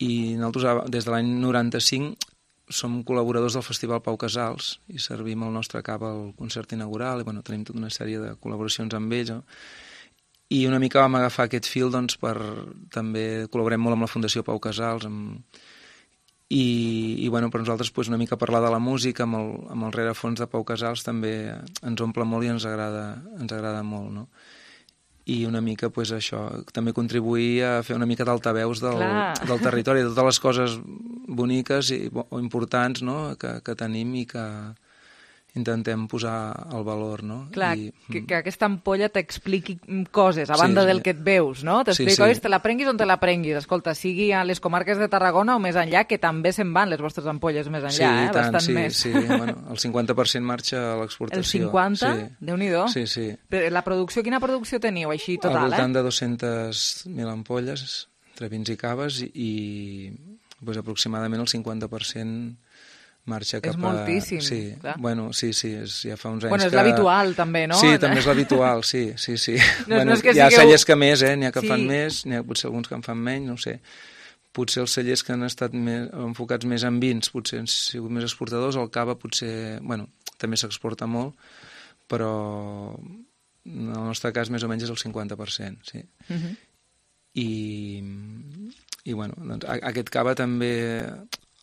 i nosaltres des de l'any 95 som col·laboradors del Festival Pau Casals i servim el nostre cava al concert inaugural, i tenim tota una sèrie de col·laboracions amb ells, i una mica vam agafar aquest fil també col·laborem molt amb la Fundació Pau Casals, i per nosaltres una mica parlar de la música amb el rerefons de Pau Casals també ens omple molt i ens agrada molt, no? I una mica això, també contribuir a fer una mica d'altaveus del territori, de totes les coses boniques o importants, no? que tenim i que intentem posar el valor, no? Clar, que aquesta ampolla t'expliqui coses, a banda del que et veus, no? T'explica, te la prenguis on te la prenguis. Escolta, sigui a les comarques de Tarragona o més enllà, que també se'n van les vostres ampolles més enllà, bastant més. Sí, el 50% marxa a l'exportació. El 50%? Déu-n'hi-do. Sí. La producció, quina producció teniu, així, total? Al voltant de 200.000 ampolles, entre vins i caves, i aproximadament el 50% marxa cap a... És moltíssim, clar. Sí, ja fa uns anys que... és l'habitual, també, no? Sí, també és l'habitual, sí. No és que hi ha cellers que més, n'hi ha que fan més, n'hi ha potser alguns que en fan menys, no ho sé. Potser els cellers que han estat enfocats més en vins, potser han sigut més exportadors, el cava potser, també s'exporta molt, però en el nostre cas més o menys és el 50%, sí. I aquest cava també...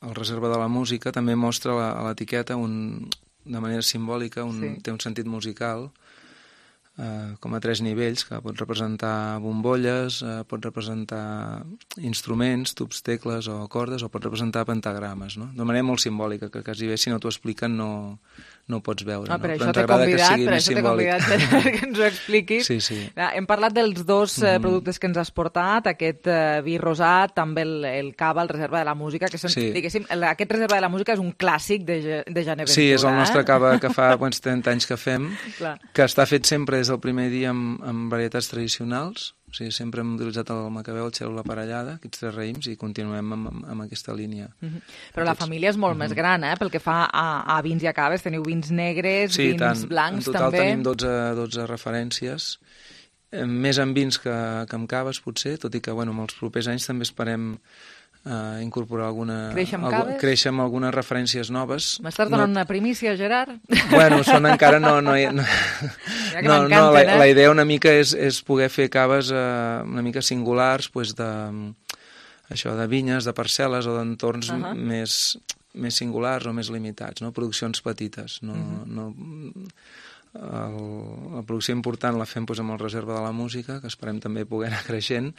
El Reserva de la Música també mostra a l'etiqueta de manera simbòlica, té un sentit musical, com a 3 nivells, que pot representar bombolles, pot representar instruments, tubs, tecles o cordes, o pot representar pentagrames, no? De manera molt simbòlica, que quasi bé si no t'ho expliquen no no ho pots veure. Per no? això t'he convidat perquè ens ho expliquis. Sí. Hem parlat dels dos productes que ens has portat, aquest vi rosat, també el cava, el Reserva de la Música, que diguéssim, aquest Reserva de la Música és un clàssic de Geneventura. Sí, és el nostre cava que fa 30 anys que fem, que està fet sempre des del primer dia amb varietats tradicionals. O sigui, sempre hem utilitzat el macabeu, el xero, la parellada, aquests 3 raïms, i continuem amb aquesta línia. Però la família és molt més gran, pel que fa a vins i a caves. Teniu vins negres, vins blancs, també. En total tenim 12 referències, més en vins que en caves, potser, tot i que en els propers anys també esperem incorporar créixer amb algunes referències noves. M'estàs donant una primícia, Gerard? Bueno, són encara no, la idea una mica és poder fer caves una mica singulars, de vinyes, de parcel·les o d'entorns més singulars o més limitats, no? Produccions petites. La producció important la fem amb el Reserva de la Música, que esperem també poder anar creixent,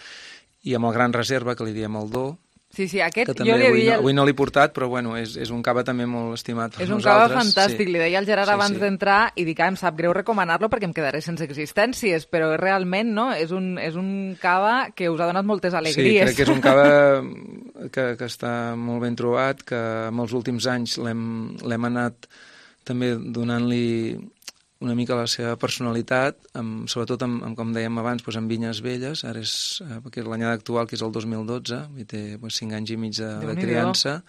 i amb el Gran Reserva, que li diem el Do. Sí, aquest jo li havia... Avui no l'he portat, però és un cava també molt estimat per nosaltres. És un cava fantàstic, li deia al Gerard abans d'entrar, i dic, em sap greu recomanar-lo perquè em quedaré sense existències, però realment és un cava que us ha donat moltes alegries. Sí, crec que és un cava que està molt ben trobat, que en els últims anys l'hem anat també donant-li una mica la seva personalitat, sobretot, com dèiem abans, amb vinyes velles. Ara és l'anyada actual, que és el 2012, i té 5 anys i mig de criança,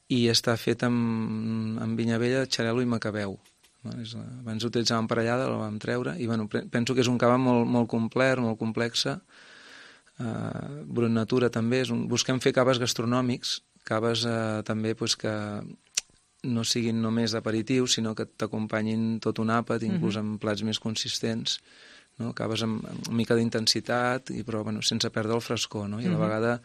i està fet amb vinya vella, xarel·lo i macabeu. Abans utilitzàvem parellada, la vam treure, i penso que és un cava molt complet, molt complexa. Brut Natura també. Busquem fer caves gastronòmics, caves també que no siguin només aperitius, sinó que t'acompanyin tot un àpat, inclús amb plats més consistents, no? Caves amb una mica d'intensitat, però sense perdre el frescor, no? I a la vegada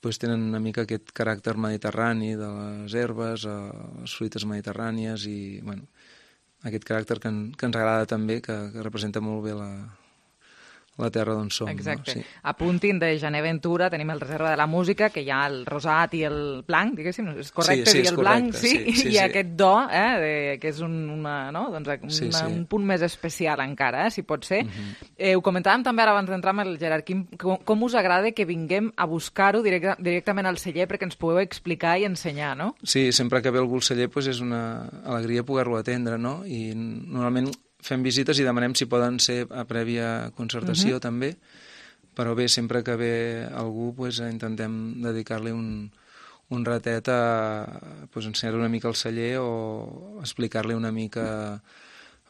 tenen una mica aquest caràcter mediterrani de les herbes, les fruites mediterrànies, i aquest caràcter que ens agrada també, que representa molt bé la terra d'on som. Exacte. No? Sí. Apuntin de Geneventura, tenim el Reserva de la Música, que hi ha el rosat i el blanc, diguéssim, és correcte dir el blanc, i aquest do, que és un punt més especial encara, si pot ser. Ho comentàvem també ara abans d'entrar amb el Gerard, com us agrada que vinguem a buscar-ho directament al celler perquè ens pugueu explicar i ensenyar, no? Sí, sempre que ve algú al celler és una alegria poder-lo atendre, no? I normalment fem visites i demanem si poden ser a prèvia concertació també, però bé, sempre que ve algú intentem dedicar-li un ratet a ensenyar-li una mica el celler o explicar-li una mica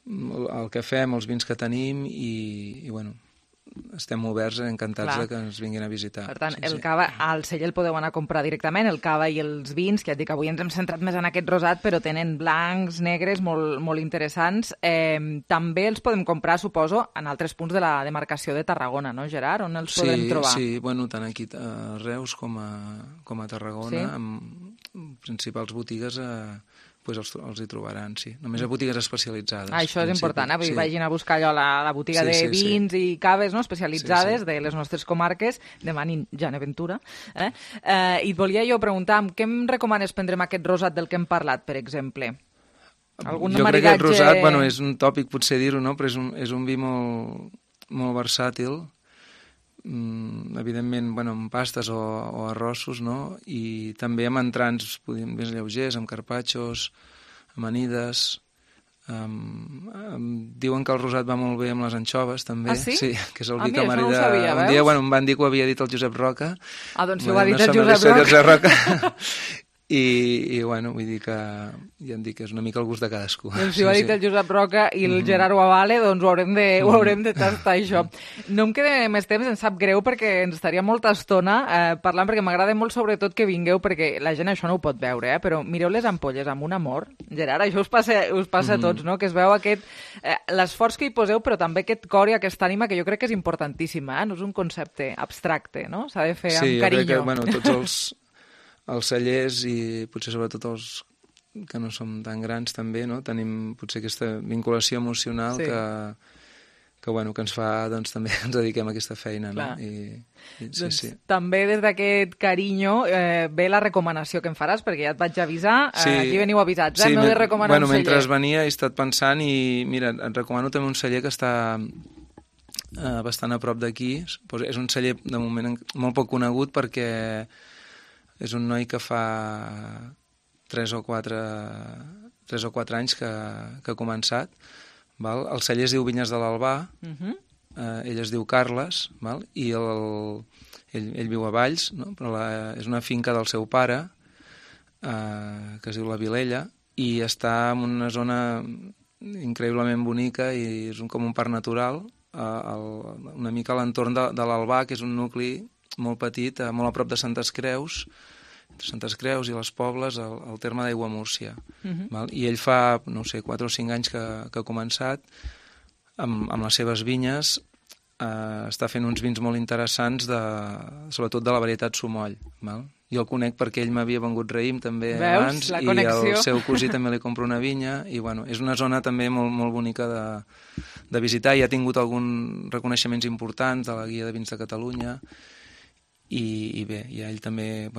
el que fem, els vins que tenim i estem oberts, encantats que ens vinguin a visitar. Per tant, el cava al celler el podeu anar a comprar directament, el cava i els vins, que ja et dic, avui ens hem centrat més en aquest rosat, però tenen blancs, negres, molt interessants. També els podem comprar, suposo, en altres punts de la demarcació de Tarragona, no, Gerard? On els podem trobar? Sí, tant aquí a Reus com a Tarragona, amb principals botigues els hi trobaran, sí. Només a botigues especialitzades. Això és important, vagin a buscar allò la botiga de vins i caves especialitzades de les nostres comarques, demanin Geneventura. I et volia jo preguntar, què em recomanes prendre amb aquest rosat del que hem parlat, per exemple? Jo crec que el rosat, és un tòpic potser dir-ho, no? Però és un vi molt versàtil, evidentment amb pastes o arrossos, no? I també amb entrants més lleugers, amb carpaccios, amanides. Diuen que el rosat va molt bé amb les anxoves també. Ah, sí? Sí, que és el vi que m'ha dit un dia em van dir que ho havia dit el Josep Roca. Ah, doncs si ho ha dit el Josep Roca. I vull dir que ja em dic que és una mica el gust de cadascú. Doncs si ho ha dit el Josep Roca i el Gerard ho avale, doncs ho haurem de tastar, això. No em queda més temps, em sap greu, perquè ens estaria molta estona parlant, perquè m'agrada molt sobretot que vingueu, perquè la gent això no ho pot veure, però mireu les ampolles amb un amor. Gerard, això us passa a tots, no? Que es veu l'esforç que hi poseu, però també aquest cor i aquesta ànima, que jo crec que és importantíssim, no és un concepte abstracte, no? S'ha de fer amb carinyo. Sí, jo crec que tots els cellers i potser sobretot els que no som tan grans també, no? Tenim potser aquesta vinculació emocional que ens fa, doncs, també ens dediquem a aquesta feina, no? Sí. També des d'aquest carinyo ve la recomanació que em faràs, perquè ja et vaig avisar, aquí veniu avisats, m'heu de recomanar un celler. Mentre venia he estat pensant i, mira, et recomano també un celler que està bastant a prop d'aquí. És un celler, de moment, molt poc conegut perquè és un noi que fa 3 o 4 anys que ha començat. Val? El celler es diu Vinyes de l'Albà, ell es diu Carles, val? I ell viu a Valls, no? Però és una finca del seu pare, que es diu La Vilella, i està en una zona increïblement bonica i és com un parc natural, una mica a l'entorn de l'Albà, que és un nucli molt petit, molt a prop de Santes Creus, entre Santes Creus i les Pobles, al terme d'Aiguamúrcia. I ell fa, no sé, 4 o 5 anys que ha començat amb les seves vinyes, està fent uns vins molt interessants, sobretot de la varietat Somoll. Jo el conec perquè ell m'havia vengut raïm també abans, i el seu cosí també li compra una vinya, i és una zona també molt, molt bonica de visitar, i ha tingut alguns reconeixements importants de la Guia de Vins de Catalunya, i bé, i ell també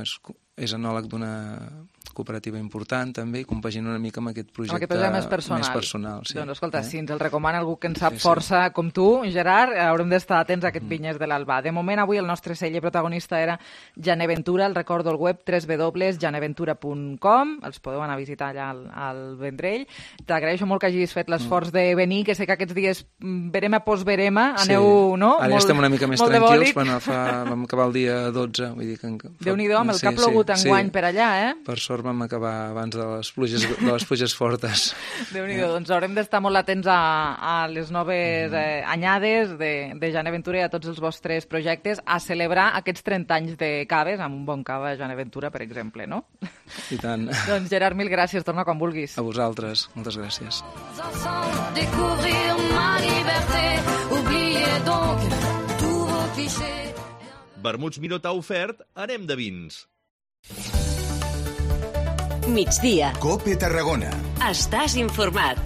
és enòleg d'una cooperativa important també, i compagina una mica amb aquest projecte més personal. Sí. Doncs escolta, si ens el recomana algú que en sap força com tu, Gerard, haurem d'estar atents a aquest Vinyes de l'Albà. De moment, avui el nostre celler protagonista era Janeventura, el recordo al web www.janeventura.com, els podeu anar a visitar allà al Vendrell. T'agraeixo molt que hagis fet l'esforç de venir, que sé que aquests dies verema post-verema, aneu, no? Ara ja estem una mica més tranquils, vam acabar el dia 12, vull dir que... Déu-n'hi-do, amb el que ha plogut enguany per allà, Per sort vam acabar abans de les pluges fortes. Déu-n'hi-do, doncs haurem d'estar molt atents a les noves anyades de Janeventura i a tots els vostres projectes, a celebrar aquests 30 anys de caves, amb un bon cava a Janeventura, per exemple, no? I tant. Doncs Gerard, mil gràcies, torna quan vulguis. A vosaltres, moltes gràcies. Vermuts Minot ha ofert Anem de Vins. Migdia. COPE Tarragona. Estàs informat.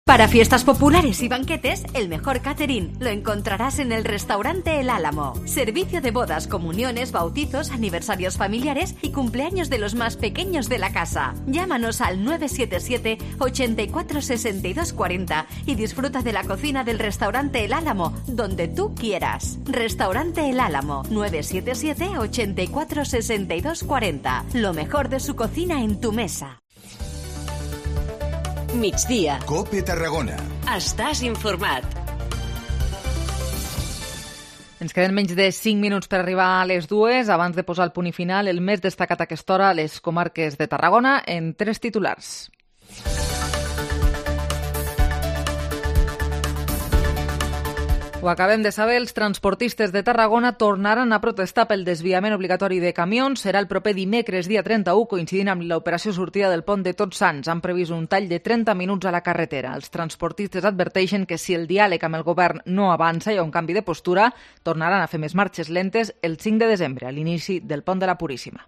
Para fiestas populares y banquetes, el mejor catering lo encontrarás en el restaurante El Álamo. Servicio de bodas, comuniones, bautizos, aniversarios familiares y cumpleaños de los más pequeños de la casa. Llámanos al 977 84 62 40 y disfruta de la cocina del restaurante El Álamo, donde tú quieras. Restaurante El Álamo, 977 84 62 40. Lo mejor de su cocina en tu mesa. Migdia. COPE Tarragona. Estàs informat. Ens queden menys de 5 minuts per arribar a les 2. Abans de posar el punt i final, el més destacat a aquesta hora a les comarques de Tarragona en 3 titulars. Ho acabem de saber, els transportistes de Tarragona tornaran a protestar pel desviament obligatori de camions. Serà el proper dimecres, dia 31, coincidint amb l'operació sortida del pont de Tots Sants. Han previst un tall de 30 minuts a la carretera. Els transportistes adverteixen que si el diàleg amb el govern no avança i hi ha un canvi de postura, tornaran a fer més marxes lentes el 5 de desembre, a l'inici del pont de la Puríssima.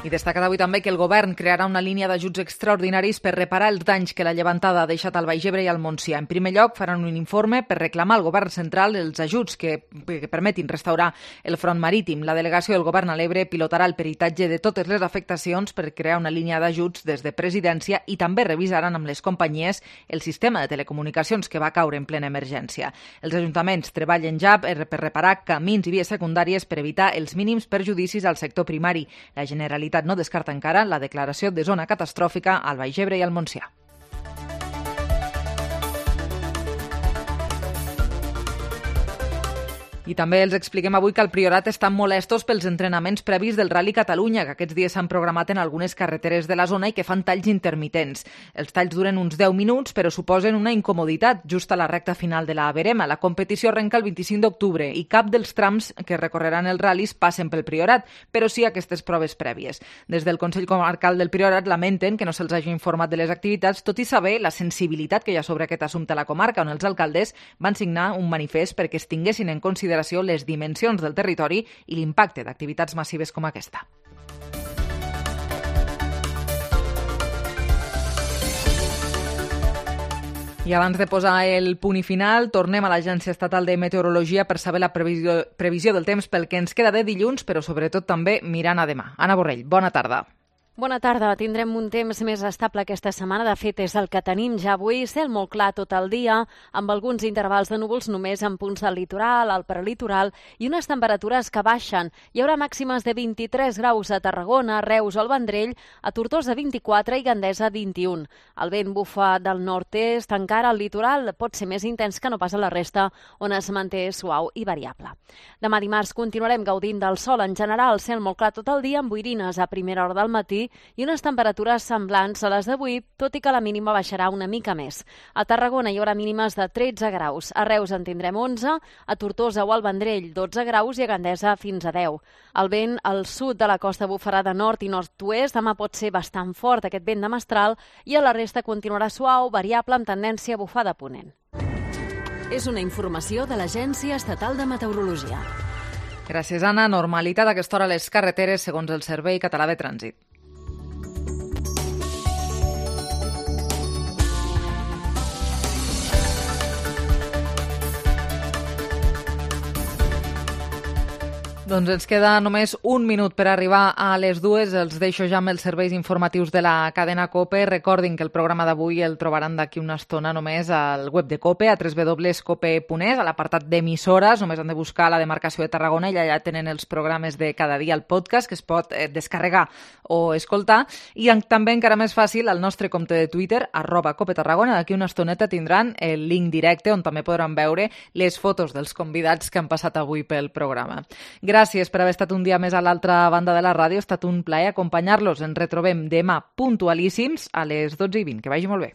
I destacat avui també que el govern crearà una línia d'ajuts extraordinaris per reparar els danys que la llevantada ha deixat al Baix Ebre i al Montsià. En primer lloc, faran un informe per reclamar al govern central els ajuts que permetin restaurar el front marítim. La delegació del govern a l'Ebre pilotarà el peritatge de totes les afectacions per crear una línia d'ajuts des de presidència i també revisaran amb les companyies el sistema de telecomunicacions que va caure en plena emergència. Els ajuntaments treballen ja per reparar camins i vies secundàries per evitar els mínims perjudicis al sector primari. La Generalitat no descarta encara la declaració de zona catastròfica al Baix Ebre i al Montsià. I també els expliquem avui que al Priorat estan molestos pels entrenaments previs del Rally Catalunya, que aquests dies s'han programat en algunes carreteres de la zona i que fan talls intermitents. Els talls duren uns 10 minuts, però suposen una incomoditat just a la recta final de la verema. La competició arrenca el 25 d'octubre i cap dels trams que recorreran els ral·lis passen pel Priorat, però sí aquestes proves prèvies. Des del Consell Comarcal del Priorat lamenten que no se'ls hagi informat de les activitats, tot i saber la sensibilitat que hi ha sobre aquest assumpte a la comarca, on els alcaldes van signar un manifest perquè es tinguessin en consideració les dimensions del territori i l'impacte d'activitats massives com aquesta. I abans de posar el punt i final, tornem a l'Agència Estatal de Meteorologia per saber la previsió del temps pel que ens queda de dilluns, però sobretot també mirant a demà. Anna Borrell, bona tarda. Bona tarda. Tindrem un temps més estable aquesta setmana. De fet, és el que tenim ja avui. Cel molt clar tot el dia, amb alguns intervals de núvols només en punts del litoral, al prelitoral, i unes temperatures que baixen. Hi haurà màximes de 23 graus a Tarragona, Reus o el Vendrell, a Tortosa 24 i Gandesa 21. El vent bufa del nord-est, encara al litoral pot ser més intens que no pas a la resta, on es manté suau i variable. Demà dimarts continuarem gaudint del sol en general, cel molt clar tot el dia, amb boirines a primera hora del matí i unes temperatures semblants a les d'avui, tot i que la mínima baixarà una mica més. A Tarragona hi haurà mínimes de 13 graus, a Reus en tindrem 11, a Tortosa o al Vendrell 12 graus i a Gandesa fins a 10. El vent al sud de la costa bufarà de nord i nord-oest, demà pot ser bastant fort aquest vent de mestral i a la resta continuarà suau, variable amb tendència a bufar de ponent. És una informació de l'Agència Estatal de Meteorologia. Gràcies, Anna. Normalitat a aquesta hora a les carreteres, segons el Servei Català de Trànsit. Doncs ens queda només un minut per arribar a les 2. Els deixo ja amb els serveis informatius de la cadena COPE. Recordin que el programa d'avui el trobaran d'aquí una estona només al web de COPE, a www.cope.es, a l'apartat d'emissores. Només han de buscar la demarcació de Tarragona i allà tenen els programes de cada dia al podcast que es pot descarregar o escoltar. I també encara més fàcil, al nostre compte de Twitter, @COPETarragona. D'aquí una estoneta tindran el link directe on també podran veure les fotos dels convidats que han passat avui pel programa. Gràcies per haver estat un dia més a l'altra banda de la ràdio. Ha estat un plaer acompanyar-los. Ens retrobem demà puntualíssims a les 12:20. Que vagi molt bé.